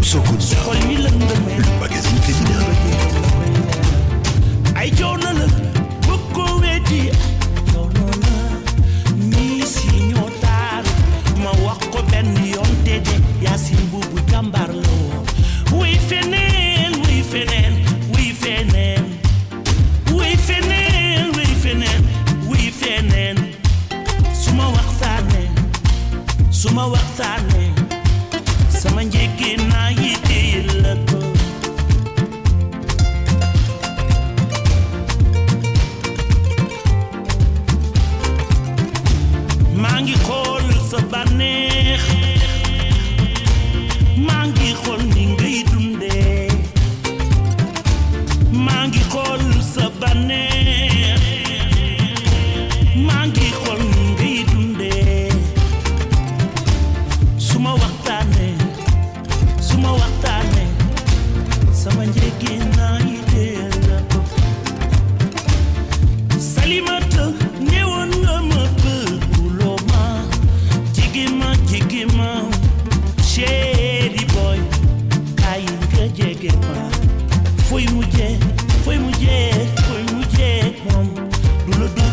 Mousso Kunda, Xol yi lëndëmee le magazine féminin. Ay coono la bu ko weddi coono la ñii si ñoo taar ma wax ko benn yoon déedé Yaasin buubu jàmbaar la woon wuy feneen wuy feneen wuy feneen wuy feneen wuy feneen wuy feneen su ma waxtaanee su ma waxtaanee sama njëkki naa yi téye la ko. Maa ngi xool sa bànneex maa ngi xool ni ngay dundee maa ngi xool sa bànneex maa ngi xool ni ngay dundee su ma waxtaanee su ma waxtaanee sama njëgi naa yi dee la ko. Salimata newoon nga ma bëgguloo ma jege ma jege ma chéri boy kaay nga jege ma fooy mujjee fooy mujjee fooy mujjee moom du la du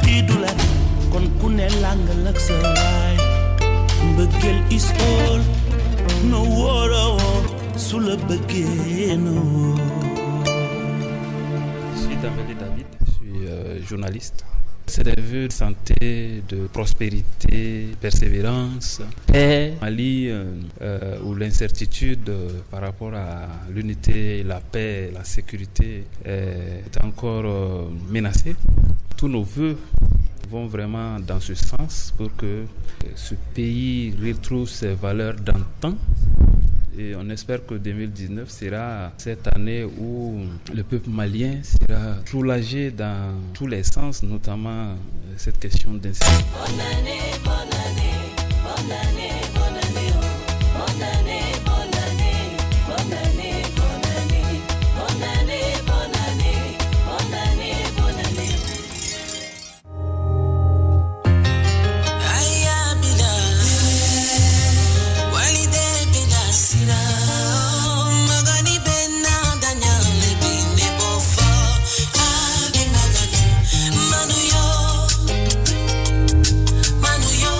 kii du la kon ku ne làngal ak sa waay mbëggeel is all no wóoroo su la bëggee no wóor. Je suis Dambélé David, je suis euh, journaliste. C'est des vœux de santé, de prospérité, persévérance, paix. Mali, euh, euh, où l'incertitude euh, par rapport à l'unité, la paix, la sécurité est encore euh, menacée. Tous nos vœux vont vraiment dans ce sens pour que euh, ce pays retrouve ses valeurs d'antan. Et on espère que deux mille dix-neuf sera cette année où le peuple malien sera soulagé dans tous les sens, notamment euh, cette question d'insécurité. Bonne année, bonne année, bonne année, bonne année, oh. Bonne année, bonne année, bonne année, bonne année, bonne année, bonne année, bonne année, bonne année. Aya bila walide bila sira magani bena danyale bine bofo age magani manu yo manu yo.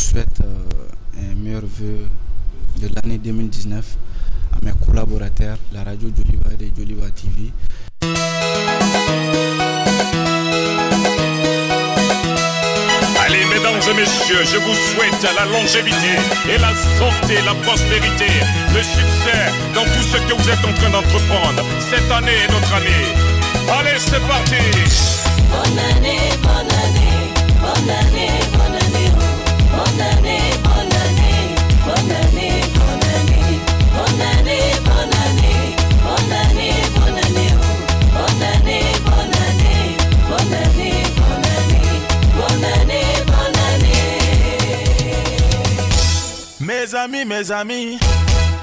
souhaite euh, un meilleur vœu de l'année deux mille dix-neuf à mes collaborateurs, la radio Joliba et Joliba T V. Allez, mesdames et messieurs, je vous souhaite la longévité et la santé, la prospérité, le succès dans tout ce que vous êtes en train d'entreprendre. Cette année est notre année. Allez, c'est parti. Bonne année, bonne année, bonne année, bonne année, oh. Bonne année, bonne année, bonne année, bonne année, bonne année, bonne année, bonne année, bonne année, oh. Bonne année, bonne année, bonne année, bonne année, bonne année, bonne année. Mes amis, mes amis,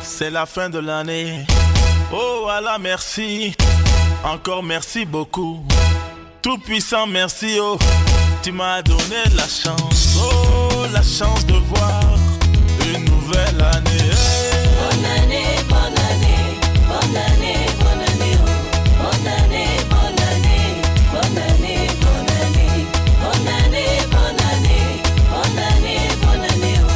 c'est la fin de l'année. Oh Allah, merci. Encore merci beaucoup. Tout puissant, merci. Oh, tu m'as donné la chance. Oh, la chance de voir une nouvelle année. Bonne année, bonne année, bonne année, bonne année, oh. Bonne année, bonne année, bonne année, bonne année, bonne année, bonne année, bonne année, bonne année, oh.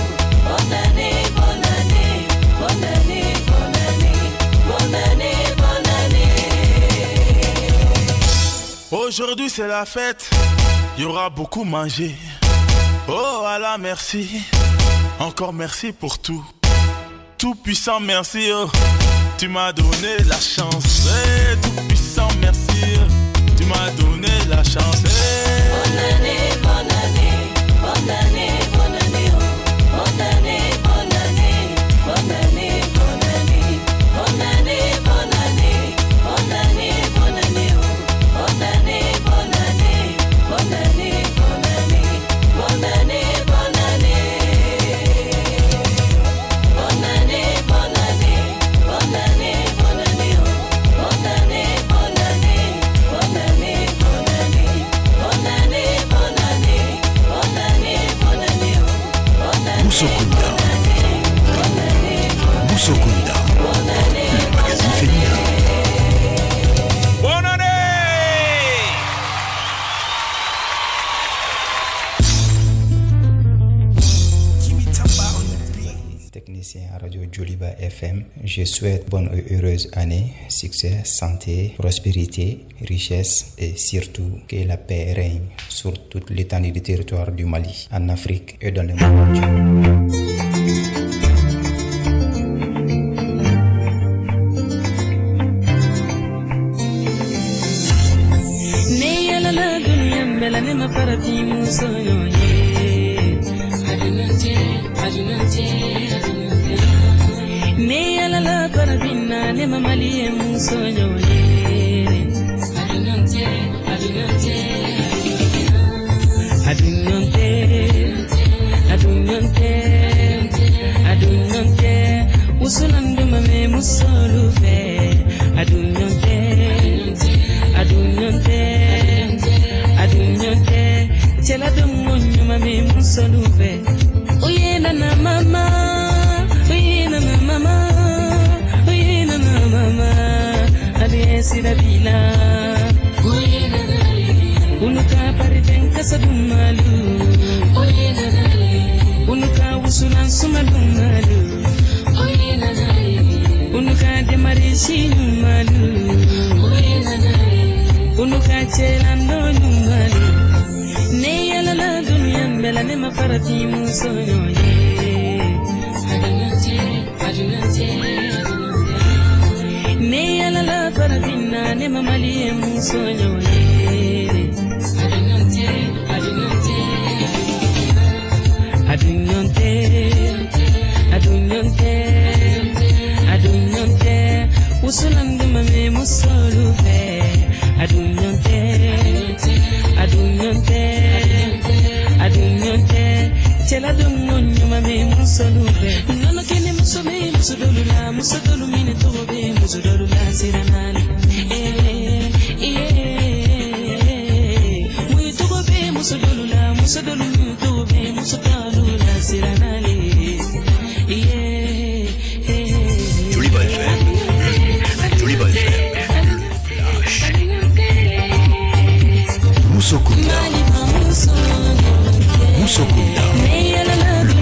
Bonne année, bonne année, bonne année, bonne année, bonne année, bonne année. Aujourd'hui c'est la fête, il y aura beaucoup mangé. Oh Allah, merci. Encore merci pour tout. Tout puissant, merci. Oh. Tu m'as donné la chance. Eh, tout puissant, merci. Oh. Tu m'as donné la chance. Eh. Bonne année, bonne année, bonne année, bonne année, oh. Bonne année, bonne année, bonne année, bonne année, bonne année, bonne année, bonne année, bonne année, oh. Bonne année, bonne année, bonne année, bonne année, bonne année, bonne année. Bonne année, bonne année, bonne année, bonne année, oh. Bonne année, bonne année, bonne année, bonne année, bonne année, bonne année, bonne année, bonne année, oh. Bonne année, Moussokunda. Moussokunda. Le magazine féminin. Bonne année. Technicien à Radio Joliba F M, je souhaite bonne et heureuse année, succès, santé, prospérité, richesse et surtout que la paix règne sur toute l'étendue du territoire du Mali, en Afrique et dans le monde entier. Ne yalala duniya bɛɛ la, ne ma farati muso ɲɔgɔn ye. Adunante, adunante, adunante. Ne yalala farafinna, ne ma Mali ye muso ɲɔgɔn ye. Adunante, adunante, adunante, adunante, adunante. Wusulan duma me musolu fɛ. Adunante, adunante, adunante. Cɛla dongo ɲuman bɛ musolu fɛ. Oye nana mama, oye nana mama, oye nana mama. Ale sira bila. Oye nana unu ka parifɛn kasa dumalu. Oye nana unu ka wusulan suma dumalu. Oye nana unu ka demarisi ɲumalu. Oye nana unu ka cɛlandɔ ɲumalu. Ne yalala duniya bɛɛ la, ne ma farati muso ɲɔgɔn ye. Adunante, adunante, adunante. Ne yalala farafinna, ne ma Mali ye muso ɲɔgɔn ye. Adunante, adunante, adunante, adunante, adunante. Wusulan duma me musolu fɛ. Adunante, adunante, adunante. Cɛla dongo ɲuman bɛ musolu fɛ. Nɔnɔ kɛnɛ muso bɛ muso dɔlu la, muso dɔlu minɛ tɔgɔ bɛ muso dɔlu la siranna. Eh, eh, mun tɔgɔ bɛ muso dɔlu la, muso dɔlu min tɔgɔ bɛ muso dɔlu la siranna. Yeah, Joliba F M. Joliba F M. Le flash. Moussokunda. Moussokunda. Le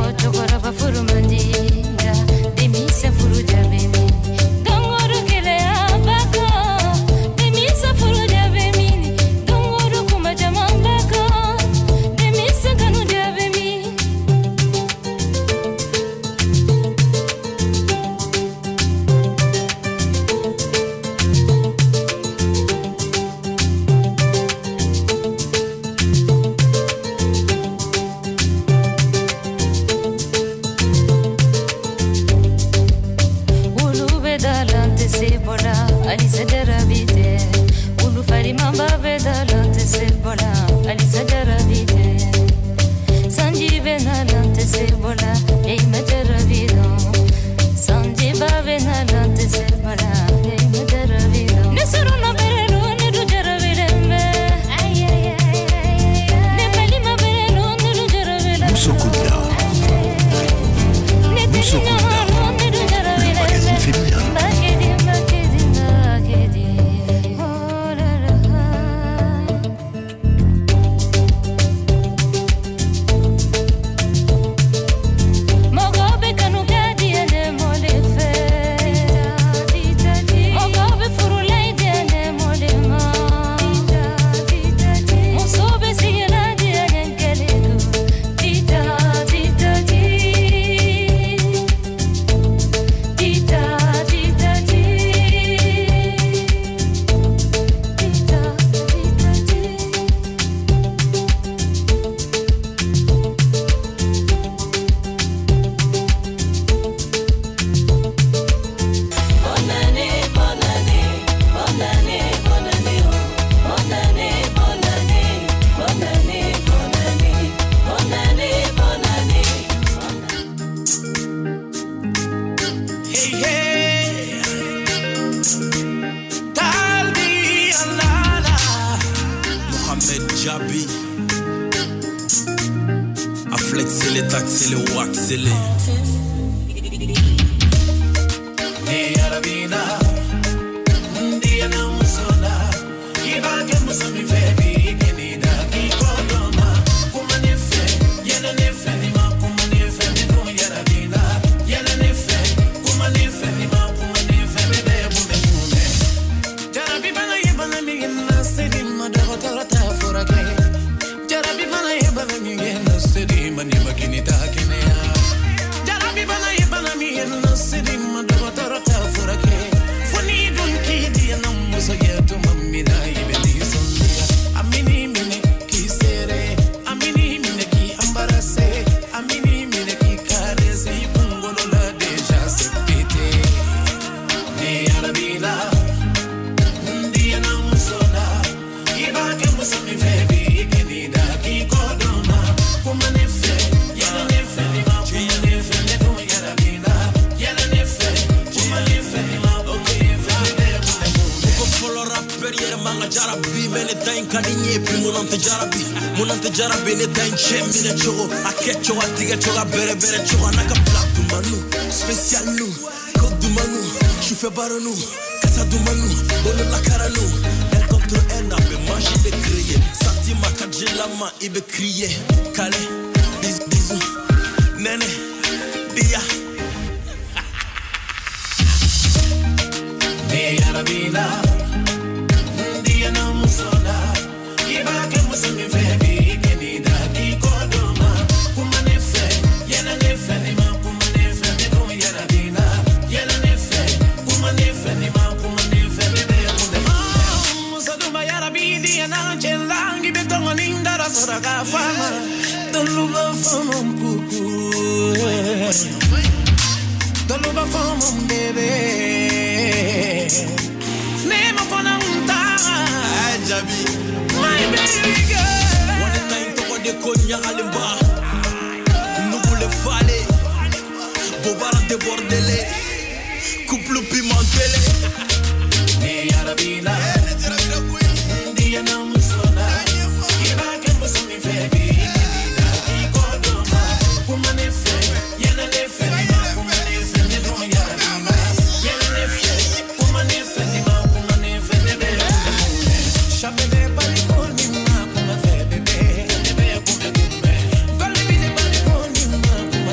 fɔ cɛkɔrɔba furu man di nka denmisɛn furu ja bɛ min don o don gɛlɛya b'a kan denmisɛn furu ja bɛ min don o don kuma caman b'a kan denmisɛn kanu ja bɛ min. Olu bɛ da la n tɛ se bɔ la Alisa jarabi tɛ olu farimaba bɛ da la n tɛ se bɔ la Alisa jarabi tɛ sanji bɛ na la n tɛ se bɔ la e ma jarabi dɔn sanjiba bɛ na la n tɛ se bɔ la e ma jarabi dɔn ne sɔrɔ ma bɛrɛ don ne dun jarabilen bɛ ne balima bɛrɛ don ne dun jarabilen bɛ ne teri ɲɔgɔn don ne dun jarabilen bɛ Mbakedi, mbakedi, mbakedi. Oh la la. Mɔgɔ bɛ kanu ka diya ne mɔle fɛ. Mɔgɔ bɛ furu la i diya ne mɔle ma. Muso bɛ sigi la diya ne kelen don. Tita, tita, ti. Tita, tita, ti. Tita, tita, ti. Bonne année, bonne année, bonne année, bonne année, oh. Bonne année, bonne année, bonne année, bonne année, bonne année, bonne année. Hey, hey. Talbi Alala. Mohamed Djabi A flexé les taxés, les waxé les Ne yarabina, ndiya na musola, ibake musomi febi kenida kikodoma, kuma ne fe, yɛlɛ ne fɛ ni ma kuma ne fɛ ne dun yarabina, yɛlɛ ne fɛ, kuma ne fɛ ni ma kuma ne fɛ bɛbɛ kunbɛ kunbɛ. Jarabi bana ye bana min ye na seri ma dɔgɔtɔrɔ t'a furakɛ. Jarabi bana ye bana min ye na seri ma ni ma kini t'a kɛnɛya. Jarabi bana ye bana min ye na seri ma dɔgɔtɔrɔ t'a furakɛ. Fo n'i dun k'i diya na muso ye tuma min na i bɛ nisɔndiya. A min'i minɛ k'i seere, a min'i minɛ k'i embarrasser, a min'i minɛ k'i caresser, i kunkolo la déjà c'est pété. Ne yarabila. Ndiya na musola, i b'a kɛ muso min fɛ bi i kɛn'i da k'i kɔ dɔn ma. Kuma ne fɛ, yɛlɛ ne fɛ, ni ma kuma ne fɛ, ne dun yarabila. Yɛlɛ ne fɛ, kuma ne fɛ, ni ma kuma ne fɛ, ne bɛ kunbɛ kunbɛ. Ko fɔlɔ rappeur yɛrɛ man ka jarabi mais ne ta in ka di n ye bi mun tɛ jarabi mun tɛ jarabi ne ta in cɛ minɛ cogo a kɛ cogo a tigɛ cogo a bɛrɛ bɛrɛ cogo a n'a ka bila dumanu spécial nu ko dumanu sufɛ baronu kasa dumanu bololakaranu un contre un a bɛ magie de créer sentiment ka jilama i bɛ crier kale bisou bisou nɛnɛ diya. Ne yarabila, ndiya na musola, i b'a kɛ muso min fɛ bi i kɛn'i da k'i kɔ dɔn ma. Kuma ne fɛ, yɛlɛ ne fɛ, ni ma kuma ne fɛ, ne dun yarabila. Yɛlɛ ne fɛ, kuma ne fɛ, ni ma kuma ne fɛ, ne bɛ kunbɛ kunbɛ. Muso duma yarabi diya na cɛ la, k'i bɛ tɔŋɔ ni n dara sɔrɔ k'a fama. Tolu b'a fɔ ma kuku. Tolu b'a fɔ ma bébé. Ne ma fana n ta. Ay, Jabi. My baby girl. Wale ta in tɔgɔ de ko ɲagalenba nugule fale bobara débordele couple pimentele. Ne yarabila, ndiya na musola, i b'a kɛ muso min fɛ bi i kɛn'i da k'i kɔ dɔn ma. Kuma ne fɛ, yɛlɛ ne fɛ, ni ma kuma ne fɛ, ne dun yarabila. Yɛlɛ ne fɛ, kuma ne fɛ, ni ma kuma ne fɛ, ne bɛ kunbɛ kunbɛ. Shabebe bariko ni ma kuma fɛ bébé, ne bɛ kunbɛ kunbɛ. Gɔli bi se bariko ni ma kuma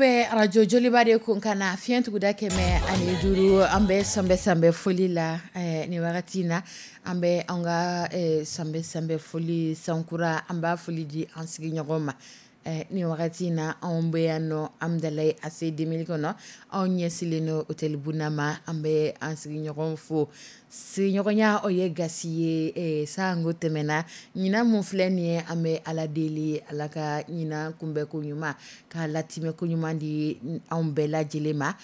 Bɛ arajo Joliba de kun ka na fiɲɛ tuguda kɛmɛ ani duuru. An bɛ sanbɛ sanbɛ foli la nin wagati in na. An bɛ an ka sanbɛ sanbɛ foli sankura, an b'a foli di an sigiɲɔgɔn ma nin wagati in na. Anw bɛ yan nɔ Amidalayi A C deux mille kɔnɔ, anw ɲɛsilen don hôtel Buna ma. An bɛ an sigiɲɔgɔn fo. Sigiɲɔgɔnya, o ye gasi ye. Sango tɛmɛna, ɲinan mun filɛ nin ye, an bɛ Ala deli, Ala ka ɲinan kunbɛn ko ɲuman, k'a latimɛ ko ɲuman di anw bɛɛ lajɛlen ma.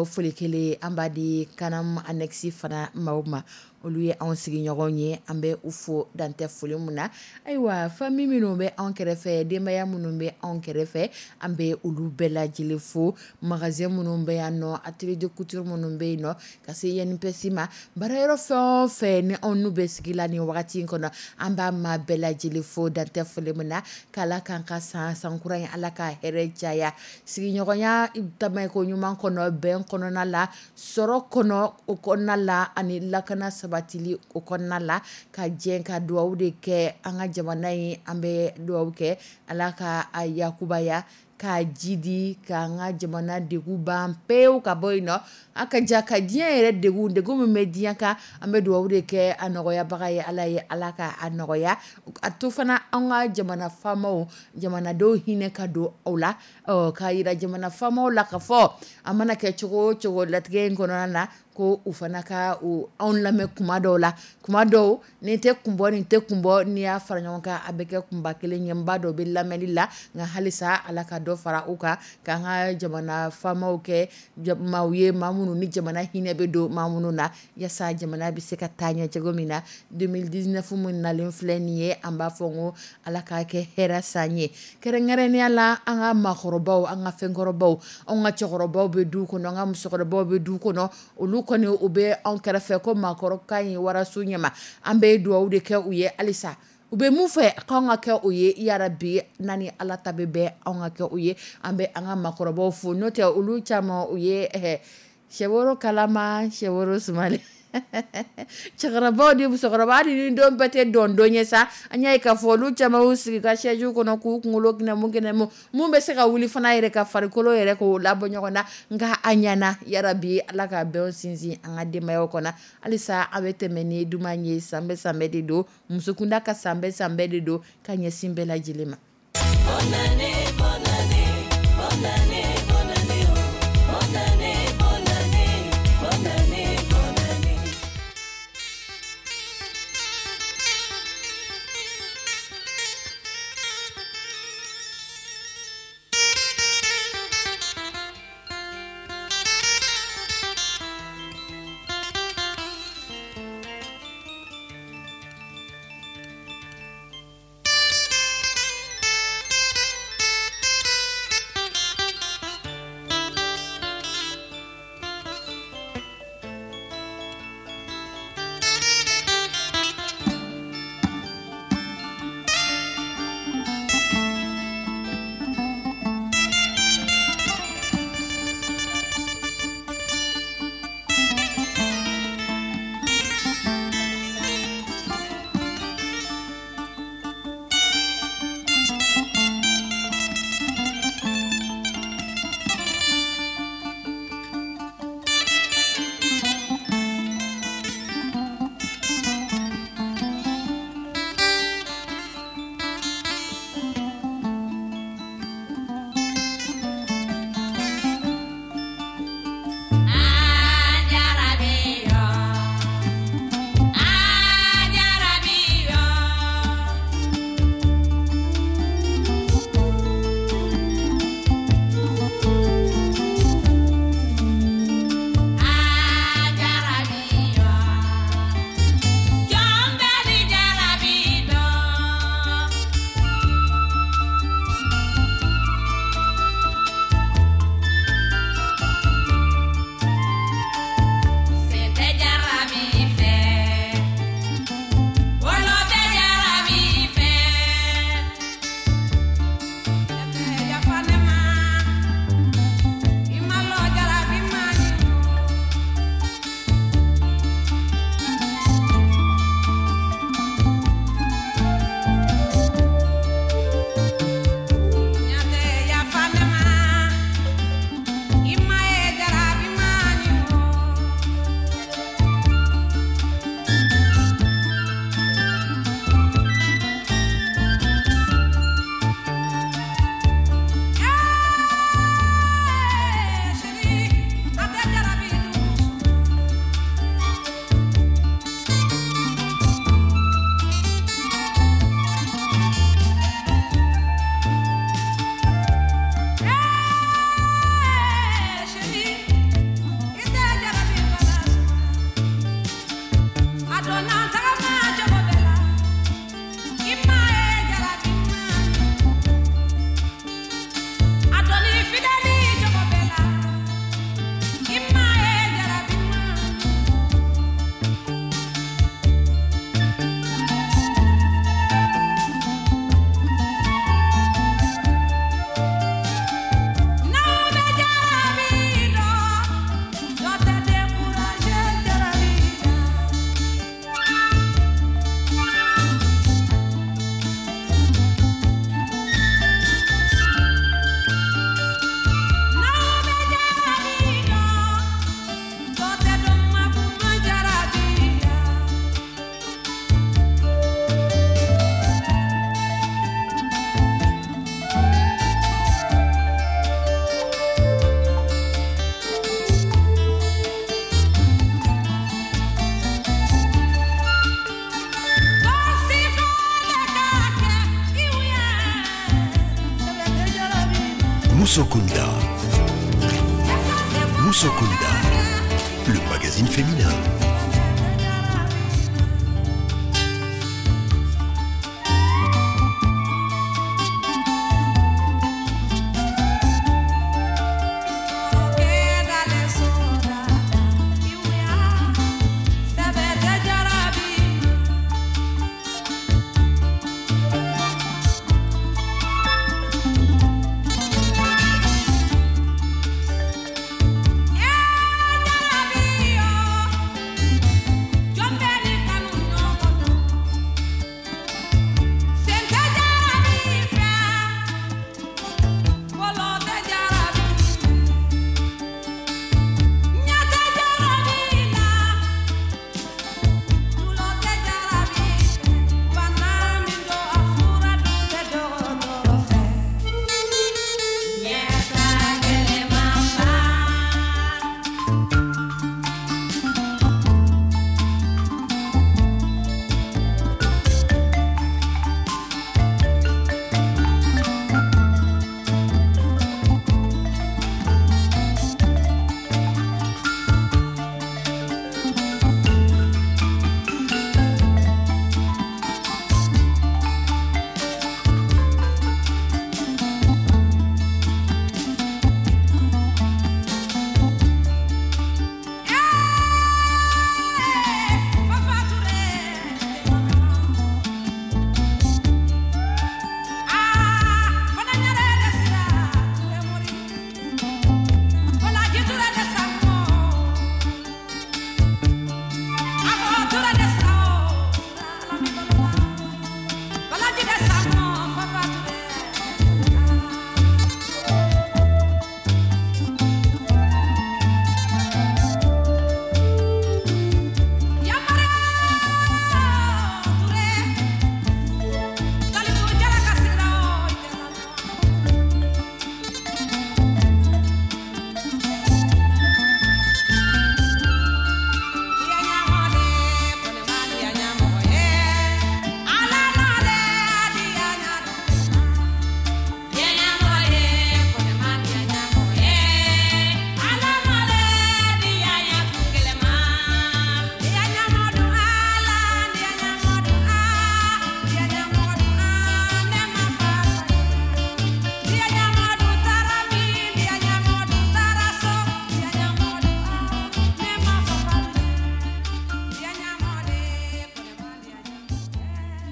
Foli kelen, an b'a di Kanam annexe fana maaw ma. Olu ye anw sigiɲɔgɔn ye, an bɛ u fo dantɛ foli min na. Ayiwa, famille minnu bɛ anw kɛrɛfɛ, denbaya minnu bɛ anw kɛrɛfɛ, an bɛ olu bɛɛ lajɛlen fo. Magasin minnu bɛ yan nɔ, atelier de couture minnu bɛ yen nɔ, ka se I N P S ma, baarayɔrɔ fɛn o fɛn ni anw n'u bɛ sigi la nin wagati in kɔnɔ, an b'a maa bɛɛ lajɛlen fo dantɛ foli min na. K'Ala k'an ka san sankura in, Ala ka hɛrɛ caya sigiɲɔgɔnya tamako ɲuman kɔnɔ, bɛn kɔnɔna la, sɔrɔ kɔnɔ o kɔnɔna la, ani lakana sabatili o kɔnɔna la. Ka jɛ ka dugawu de kɛ an ka jamana ye. An bɛ dugawu kɛ, Ala ka a yakubaya, k'a jidi, k'an ka jamana degun ban pewu ka bɔ yen nɔ, a ka ja ka diɲɛ yɛrɛ degun degun min bɛ diɲɛ kan. An bɛ dugawu de kɛ a nɔgɔyabaga ye Ala ye, Ala ka a nɔgɔya. A to fana, an ka jamana faamaw, jamanadenw hinɛ ka don aw la, k'a yira jamana faamaw la ka fɔ a mana kɛ cogo o cogo latigɛ in kɔnɔna na, ko u fana ka anw lamɛn kuma dɔw la. Kuma dɔw, nin tɛ kun bɔ, nin tɛ kun bɔ, n'i y'a fara ɲɔgɔn kan, a bɛ kɛ kunba kelen ye. N b'a dɔn u bɛ lamɛnli la, nka halisa Ala ka dɔ fara u kan, k'an ka jamana faamaw kɛ maaw ye, maa minnu ni jamana hinɛ bɛ don maa minnu na, yaasa jamana bɛ se ka taa ɲɛ cogo min na. deux mille dix-neuf min nalen filɛ nin ye, an b'a fɔ ko Ala k'a kɛ hɛrɛ san ye, kɛrɛnkɛrɛnnenya la an ka maakɔrɔbaw, an ka fɛnkɔrɔbaw. Anw ka cɛkɔrɔbaw bɛ du kɔnɔ, an ka musokɔrɔbaw bɛ du kɔnɔ, olu kɔni u bɛ anw kɛrɛfɛ ko maakɔrɔ ka ɲi waraso ɲɛma. An bɛ dugawu de kɛ u ye halisa. U bɛ mun fɛ k'anw ka kɛ u ye, yarabi n'a ni Ala ta bɛ bɛn, anw ka kɛ u ye. An bɛ an ka maakɔrɔbaw fo, n'o tɛ olu caman u ye sɛworo kalama, sɛworo sumalen. Cɛkɔrɔbaw ni musokɔrɔba, hali ni don bɛɛ tɛ dɔn don ye sa, an y'a ye k'a fɔ olu caman y'u sigi ka chaise kɔnɔ k'u kunkolo kɛnɛmu kɛnɛmu. Mun bɛ se ka wuli fana yɛrɛ ka farikolo yɛrɛ k'o labɔ ɲɔgɔn na, nka a ɲɛna. Yarabi Ala ka bɛn sinsin an ka denbayaw kɔnɔ halisa. A bɛ tɛmɛ ni duman ye. Sanbɛ sanbɛ de don, musokunda ka sanbɛ sanbɛ de don ka ɲɛsin bɛɛ lajɛlen ma. Bonne année, bonne année, bonne année, bonne année, oh. Bonne année, bonne année, bonne année, bonne année. Musokunda. Musokunda, le magazine féminin.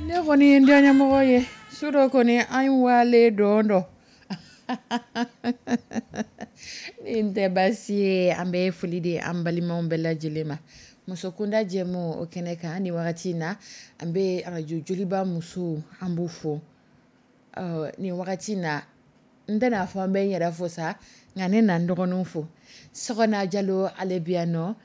Ne kɔni ye n diyaɲɛmɔgɔ ye su dɔ kɔni an wale dɔn dɔ ni tɛ baasi ye. An bɛ foli di an balimaw bɛɛ lajɛlen ma musokunda jɛmu o kɛnɛ kan. Ni wagati in na, an bɛ arajo Joliba musow, an b'u fo nin wagati in na. N tɛna fɔ an bɛ n yɛrɛ fo sa, nka ne na n dɔgɔninw fo. Sɔgɔna Jalo, ale bi yan nɔ.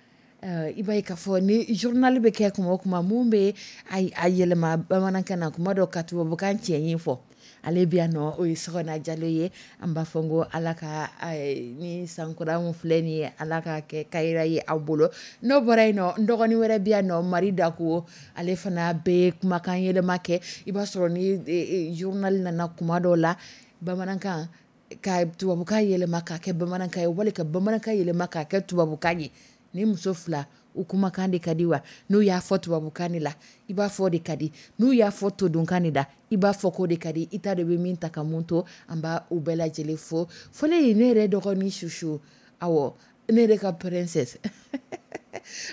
I b'a ye k'a fɔ ni journal bɛ kɛ kuma o kuma, mun bɛ a yɛlɛma bamanankan na, kuma dɔ ka tubabukan cɛ ɲin fɔ, ale bi yan nɔ, o ye Sɔgɔna Jalo ye. An b'a fɔ n ko Ala ka ni sankura min filɛ nin ye, Ala ka kɛ kayira ye aw bolo. N'o bɔra yen nɔ, n dɔgɔnin wɛrɛ bi yan nɔ, Mari Dako, ale fana bɛ kumakan yɛlɛma kɛ. I b'a sɔrɔ ni journal nana kuma dɔw la bamanankan, ka tubabukan yɛlɛma k'a kɛ bamanankan ye, wali ka bamanankan yɛlɛma k'a kɛ tubabukan ye. Ni muso fila, u kumakan de ka di wa. N'u y'a fɔ tubabukan de la, i b'a fɔ de ka di. N'u y'a fɔ todunkan de la, i b'a fɔ k'o de ka di. I t'a dɔn i bɛ min ta ka mun to. An b'a u bɛɛ lajɛlen fo. Fɔlen ye ne yɛrɛ dɔgɔnin Susu, awɔ, ne yɛrɛ ka princesse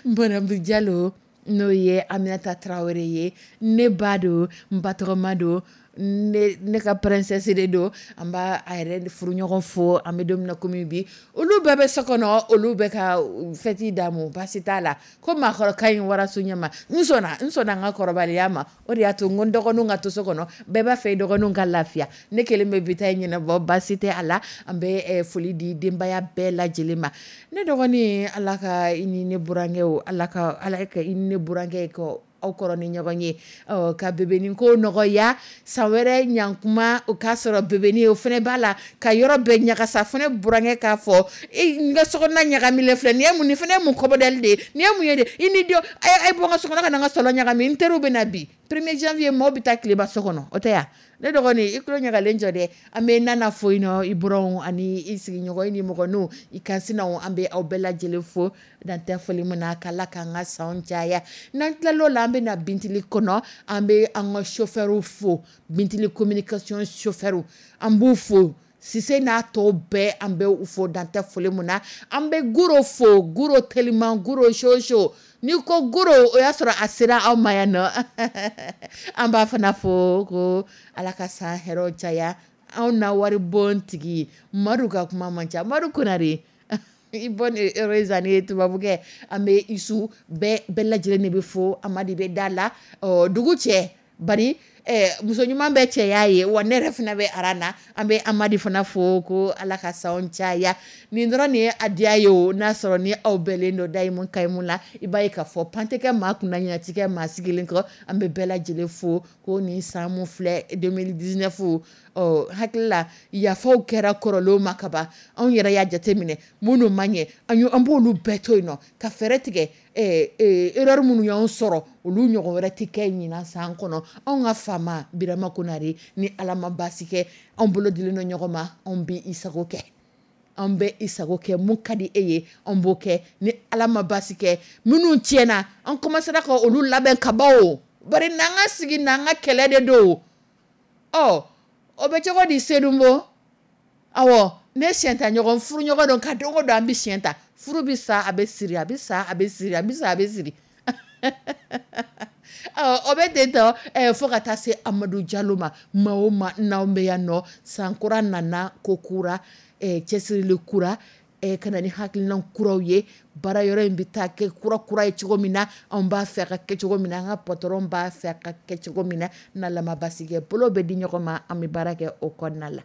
Bɔnɛbu Jalo, n'o ye Aminata Tarawele ye, ne ba don, n ba tɔgɔma don, ne, ne ka princesse de don. An b'a a yɛrɛ furuɲɔgɔn fo. An bɛ don min na komi bi, olu bɛɛ bɛ so kɔnɔ, olu bɛ ka fɛti d'amu. Baasi t'a la ko maakɔrɔ ka ɲi waraso ɲɛma. N sɔnna, n sɔnna n ka kɔrɔbaliya ma. O de y'a to n ko n dɔgɔninw ka to so kɔnɔ. Bɛɛ b'a fɛ i dɔgɔninw ka lafiya. Ne kelen bɛ bi ta in ɲɛnabɔ, baasi tɛ a la. An bɛ foli di denbaya bɛɛ lajɛlen ma. Ne dɔgɔnin, Ala ka i ni ne burankɛw, Ala ka Ala ka i ni ne burankɛ kɔ aw kɔrɔ ni ɲɔgɔn ye, ka bebenin ko nɔgɔya. San wɛrɛ ɲankuma o k'a sɔrɔ bebenin o fana b'a la ka yɔrɔ bɛɛ ɲagasa. Fana burankɛ k'a fɔ e n ka sokɔnɔna ɲagamilen filɛ nin ye, mun nin fana ye mun kɔbɔdali de ye, nin ye mun ye de? I ni denw a ye bɔ n ka sokɔnɔ ka na n ka salon ɲagami. N teriw bɛ na bi premier janvier, maaw bɛ taa tileba so kɔnɔ, o tɛ ya. Ne dɔgɔnin, i tulo ɲagalen jɔ dɛ. An bɛ Nana fo yen nɔ, i buranw ani i sigiɲɔgɔn, i ni mɔgɔninw, i kansinaw, an bɛ aw bɛɛ lajɛlen fo dan tɛ foli min na, k'Ala k'an ka sanw caya. N'an tilal'o la, an bɛ na Bintili kɔnɔ, an bɛ an ka chauffeur fo, Bintili communication chauffeur, an b'u fo. Sise n'a tɔw bɛɛ, an bɛ u fo dan tɛ foli min na. An bɛ Goro fo, Goro teliman, Goro soso. N'i ko Goro, o y'a sɔrɔ a sera aw ma yan nɔ. An b'a fana fo ko Ala ka san hɛrɛw caya. Anw na wari bon tigi Madu ka kuma man ca, Madu Konare, i bonne heureuse année tubabukɛ. An bɛ Isu bɛɛ bɛɛ lajɛlen de bɛ fo, Amadi bɛ da la. Ɔ dugu cɛ bari eh, muso ɲuman bɛ cɛya ye wa, ne yɛrɛ fana bɛ aran na. An bɛ Amadi fana fo ko Ala ka sanw caya. Nin dɔrɔn nin ye a diya ye o, n'a sɔrɔ ni aw bɛɛlen don dayimu kayimu la, i b'a ye k'a fɔ pan tɛ kɛ maa kunna, ɲɛna ti kɛ maa sigilen kɔ. An bɛ bɛɛ lajɛlen fo ko nin san mun filɛ deux mille dix-neuf, ɔ hakili la yafaw kɛra kɔrɔlenw ma kaban. Anw yɛrɛ y'a jateminɛ minnu ma ɲɛ, an y'o, an b'olu bɛɛ to yen nɔ ka fɛɛrɛ tigɛ eh, eh, erreur minnu y'anw sɔrɔ, olu ɲɔgɔn wɛrɛ tɛ kɛ ɲinan san kɔnɔ. Anw ka faama Birama Konare, ni Ala ma baasi kɛ, anw bolo dilen don ɲɔgɔn ma, anw bɛ i sago kɛ, anw bɛ i sago kɛ, mun ka di e ye anw b'o kɛ. Ni Ala ma baasi kɛ, minnu tiɲɛna, an commencera ka olu labɛn ka ban o, bari n'an ka sigi n'an ka kɛlɛ de don. Ɔ o bɛ cogo di Sedunbo? Awɔ, ne siɲɛ ta ɲɔgɔn furu ɲɔgɔn don ka don o don an bɛ siɲɛ ta, furu bɛ sa a bɛ siri, a bɛ sa a bɛ siri, a bɛ sa a bɛ siri. Ɔ o bɛ ten tɔ eh, fo ka taa se Amadu Jalo ma. Maa o maa n'anw bɛ yan nɔ, san kura nana ko kura, eh, cɛsirili kura, eh, ka na ni hakilina kuraw ye. Baara yɔrɔ in bɛ taa kɛ kura kura ye cogo min na, anw b'a fɛ a ka kɛ cogo min na, an ka patron b'a fɛ a ka kɛ cogo min na. N'Ala ma baasi kɛ, bolo bɛ di ɲɔgɔn ma, an bɛ baara kɛ o kɔnɔna la.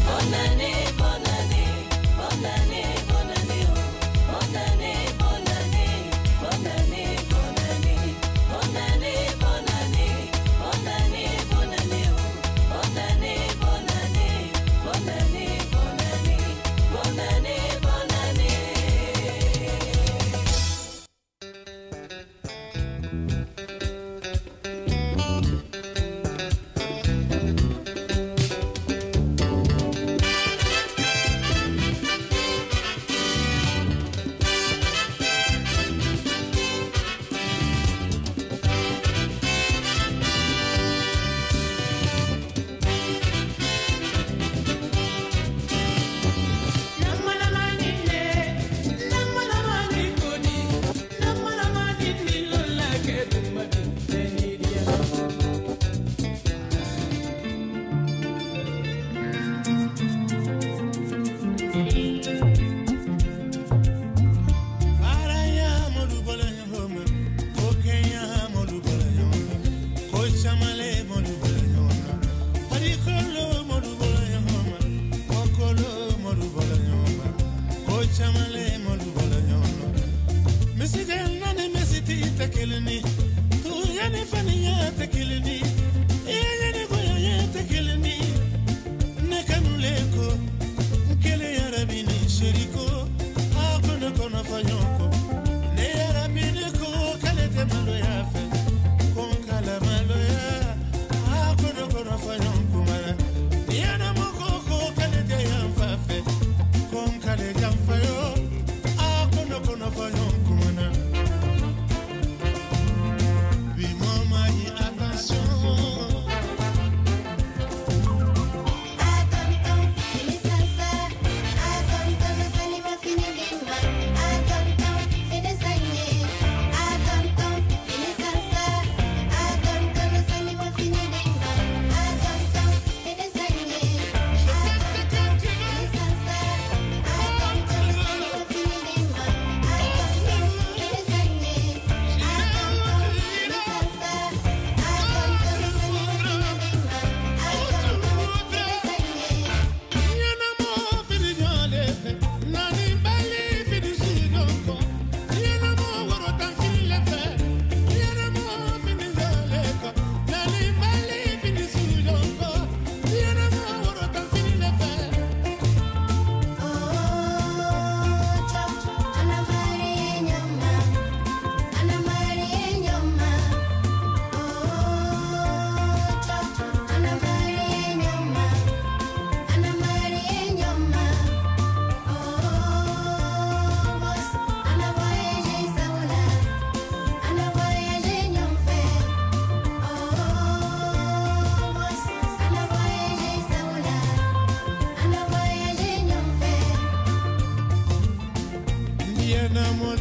Bonne année, bonne année, bonne année, bonne année, oh. Bonne année, bonne année, bonne année, bonne année, bonne année, bonne année, bonne année, bonne année, oh. Bonne année, bonne année, bonne année, bonne année, bonne année, bonne année.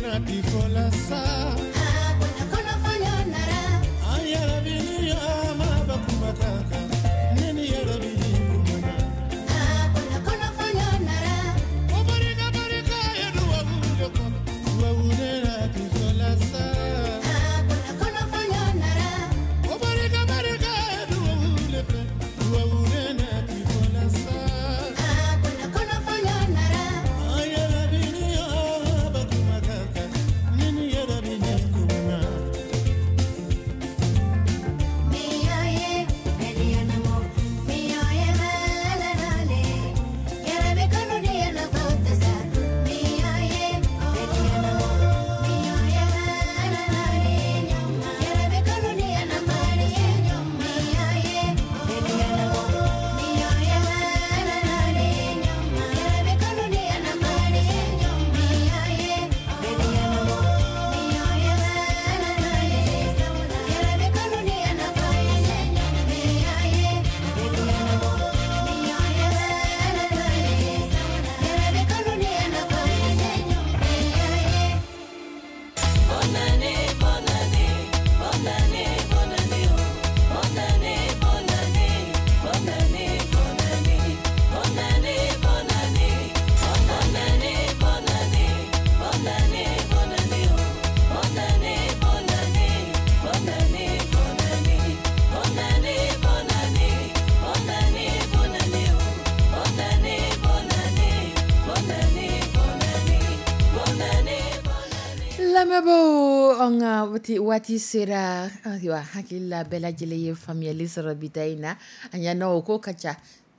Nati fɔla sa. An yɛrɛ bi ni ma bakuba kan kan ne ni yɛrɛ bi ni kumana. Ko barika barika ye duwawu de kɔrɔ duwawu ne nati fɔla sa. Ko barika barika ye duwawu de fɛ duwawu ne nati fɔla sa. An yɛrɛ bi ni bakuba kan kan ne ni yɛrɛ bi ni kumana. Bonne année, bonne année, bonne année, bonne année, oh. Bonne année, bonne année, bonne année, bonne année, bonne année, bonne année, bonne année, bonne année, bonne année, bonne année, oh. Bonne année, bonne année, bonne année, bonne année, bonne année, bonne année, bonne année, bonne année, oh. Bonne année, bonne année, bonne année, bonne année, bonne année, bonne Lamɛnbaaw, an ka waati waati sera. Ayiwa, hakili la bɛɛ lajɛlen ye faamuyali sɔrɔ bi ta in na. A ɲɛna o ko ka ca.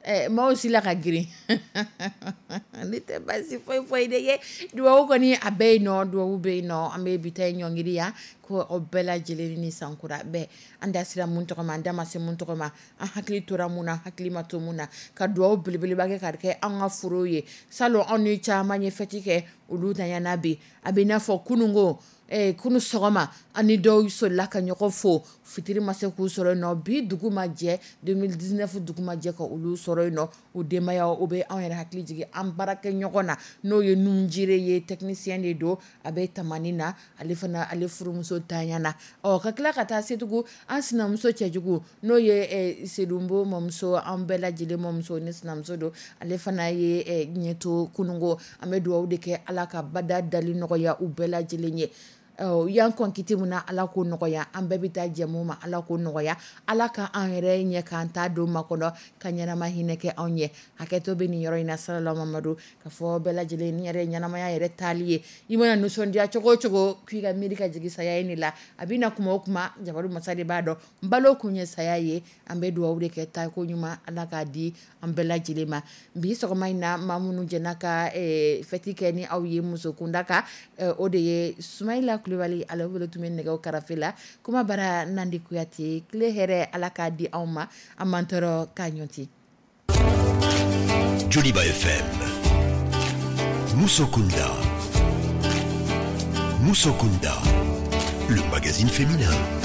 Ɛ maaw sila ka girin ne tɛ baasi foyi foyi de ye. Dubabu kɔni a bɛ yen nɔ, dubabu bɛ yen nɔ. An bɛ bi ta in ɲɔngiri yan ko aw bɛɛ lajɛlen ni sankura bɛɛ. An da sera mun tɔgɔ ma, an da ma se mun tɔgɔ ma, an hakili tora mun na, hakili ma to mun na, ka dugawu belebeleba kɛ ka kɛ an ka foro ye. Salon anw ni caman ye fɛti kɛ, olu tanyana bi a bɛ i n'a fɔ kununko eh, kunu sɔgɔma ani dɔw solila ka ɲɔgɔn fo, fitiri ma se k'u sɔrɔ yen nɔ. Bi dugu ma jɛ, deux mille dix-neuf dugu ma jɛ ka olu sɔrɔ yen nɔ, u denbaya o bɛ anw yɛrɛ hakili jigin an baarakɛ ɲɔgɔn na, n'o ye Nunjire ye, technicien de don, a bɛ tamani na. Ale fana, ale furumuso tanyana. Ɔ ka tila ka taa se tugun an sinamuso cɛjugu, n'o ye eh, Sedunbo mamuso, an bɛɛ lajɛlen mamuso ni sinamuso don. Ale fana ye eh, ɲɛto kunungo. An bɛ dugawu de kɛ, Ala ka bada dali nɔgɔya u bɛɛ lajɛlen ye. Ɔ yan kɔn kiti mun na, Ala k'o nɔgɔya. An bɛɛ bɛ taa jɛmu ma, Ala k'o nɔgɔya. Ala ka an yɛrɛ ɲɛ k'an ta don ma kɔnɔ ka ɲɛnama hinɛ kɛ anw ye. Hakɛto bɛ nin yɔrɔ in na. Salala Mamadu ka fɔ bɛɛ lajɛlen ni yɛrɛ ye ɲɛnamaya yɛrɛ taali ye. I mana nisɔndiya cogo o cogo, k'i ka miiri ka jigin saya ye de la, a bɛ na kuma o kuma, jabaru masa de b'a dɔn balo kun ye saya ye. An bɛ dugawu de kɛ, taako ɲuman Ala k'a di an bɛɛ lajɛlen ma. Bi sɔgɔma in na, maa minnu jɛna ka eh, fɛti kɛ ni aw ye muso kunda kan, eh, o de ye Sumayila Kulubali, ale bolo tun bɛ nɛgɛw karafe la. Kuma bara Nandi Kuyate. Tile hɛrɛ Ala k'a di anw ma, an m'an tɔɔrɔ k'a ɲɔti. Joliba F M. Musokunda. Musokunda. Le magazine féminin.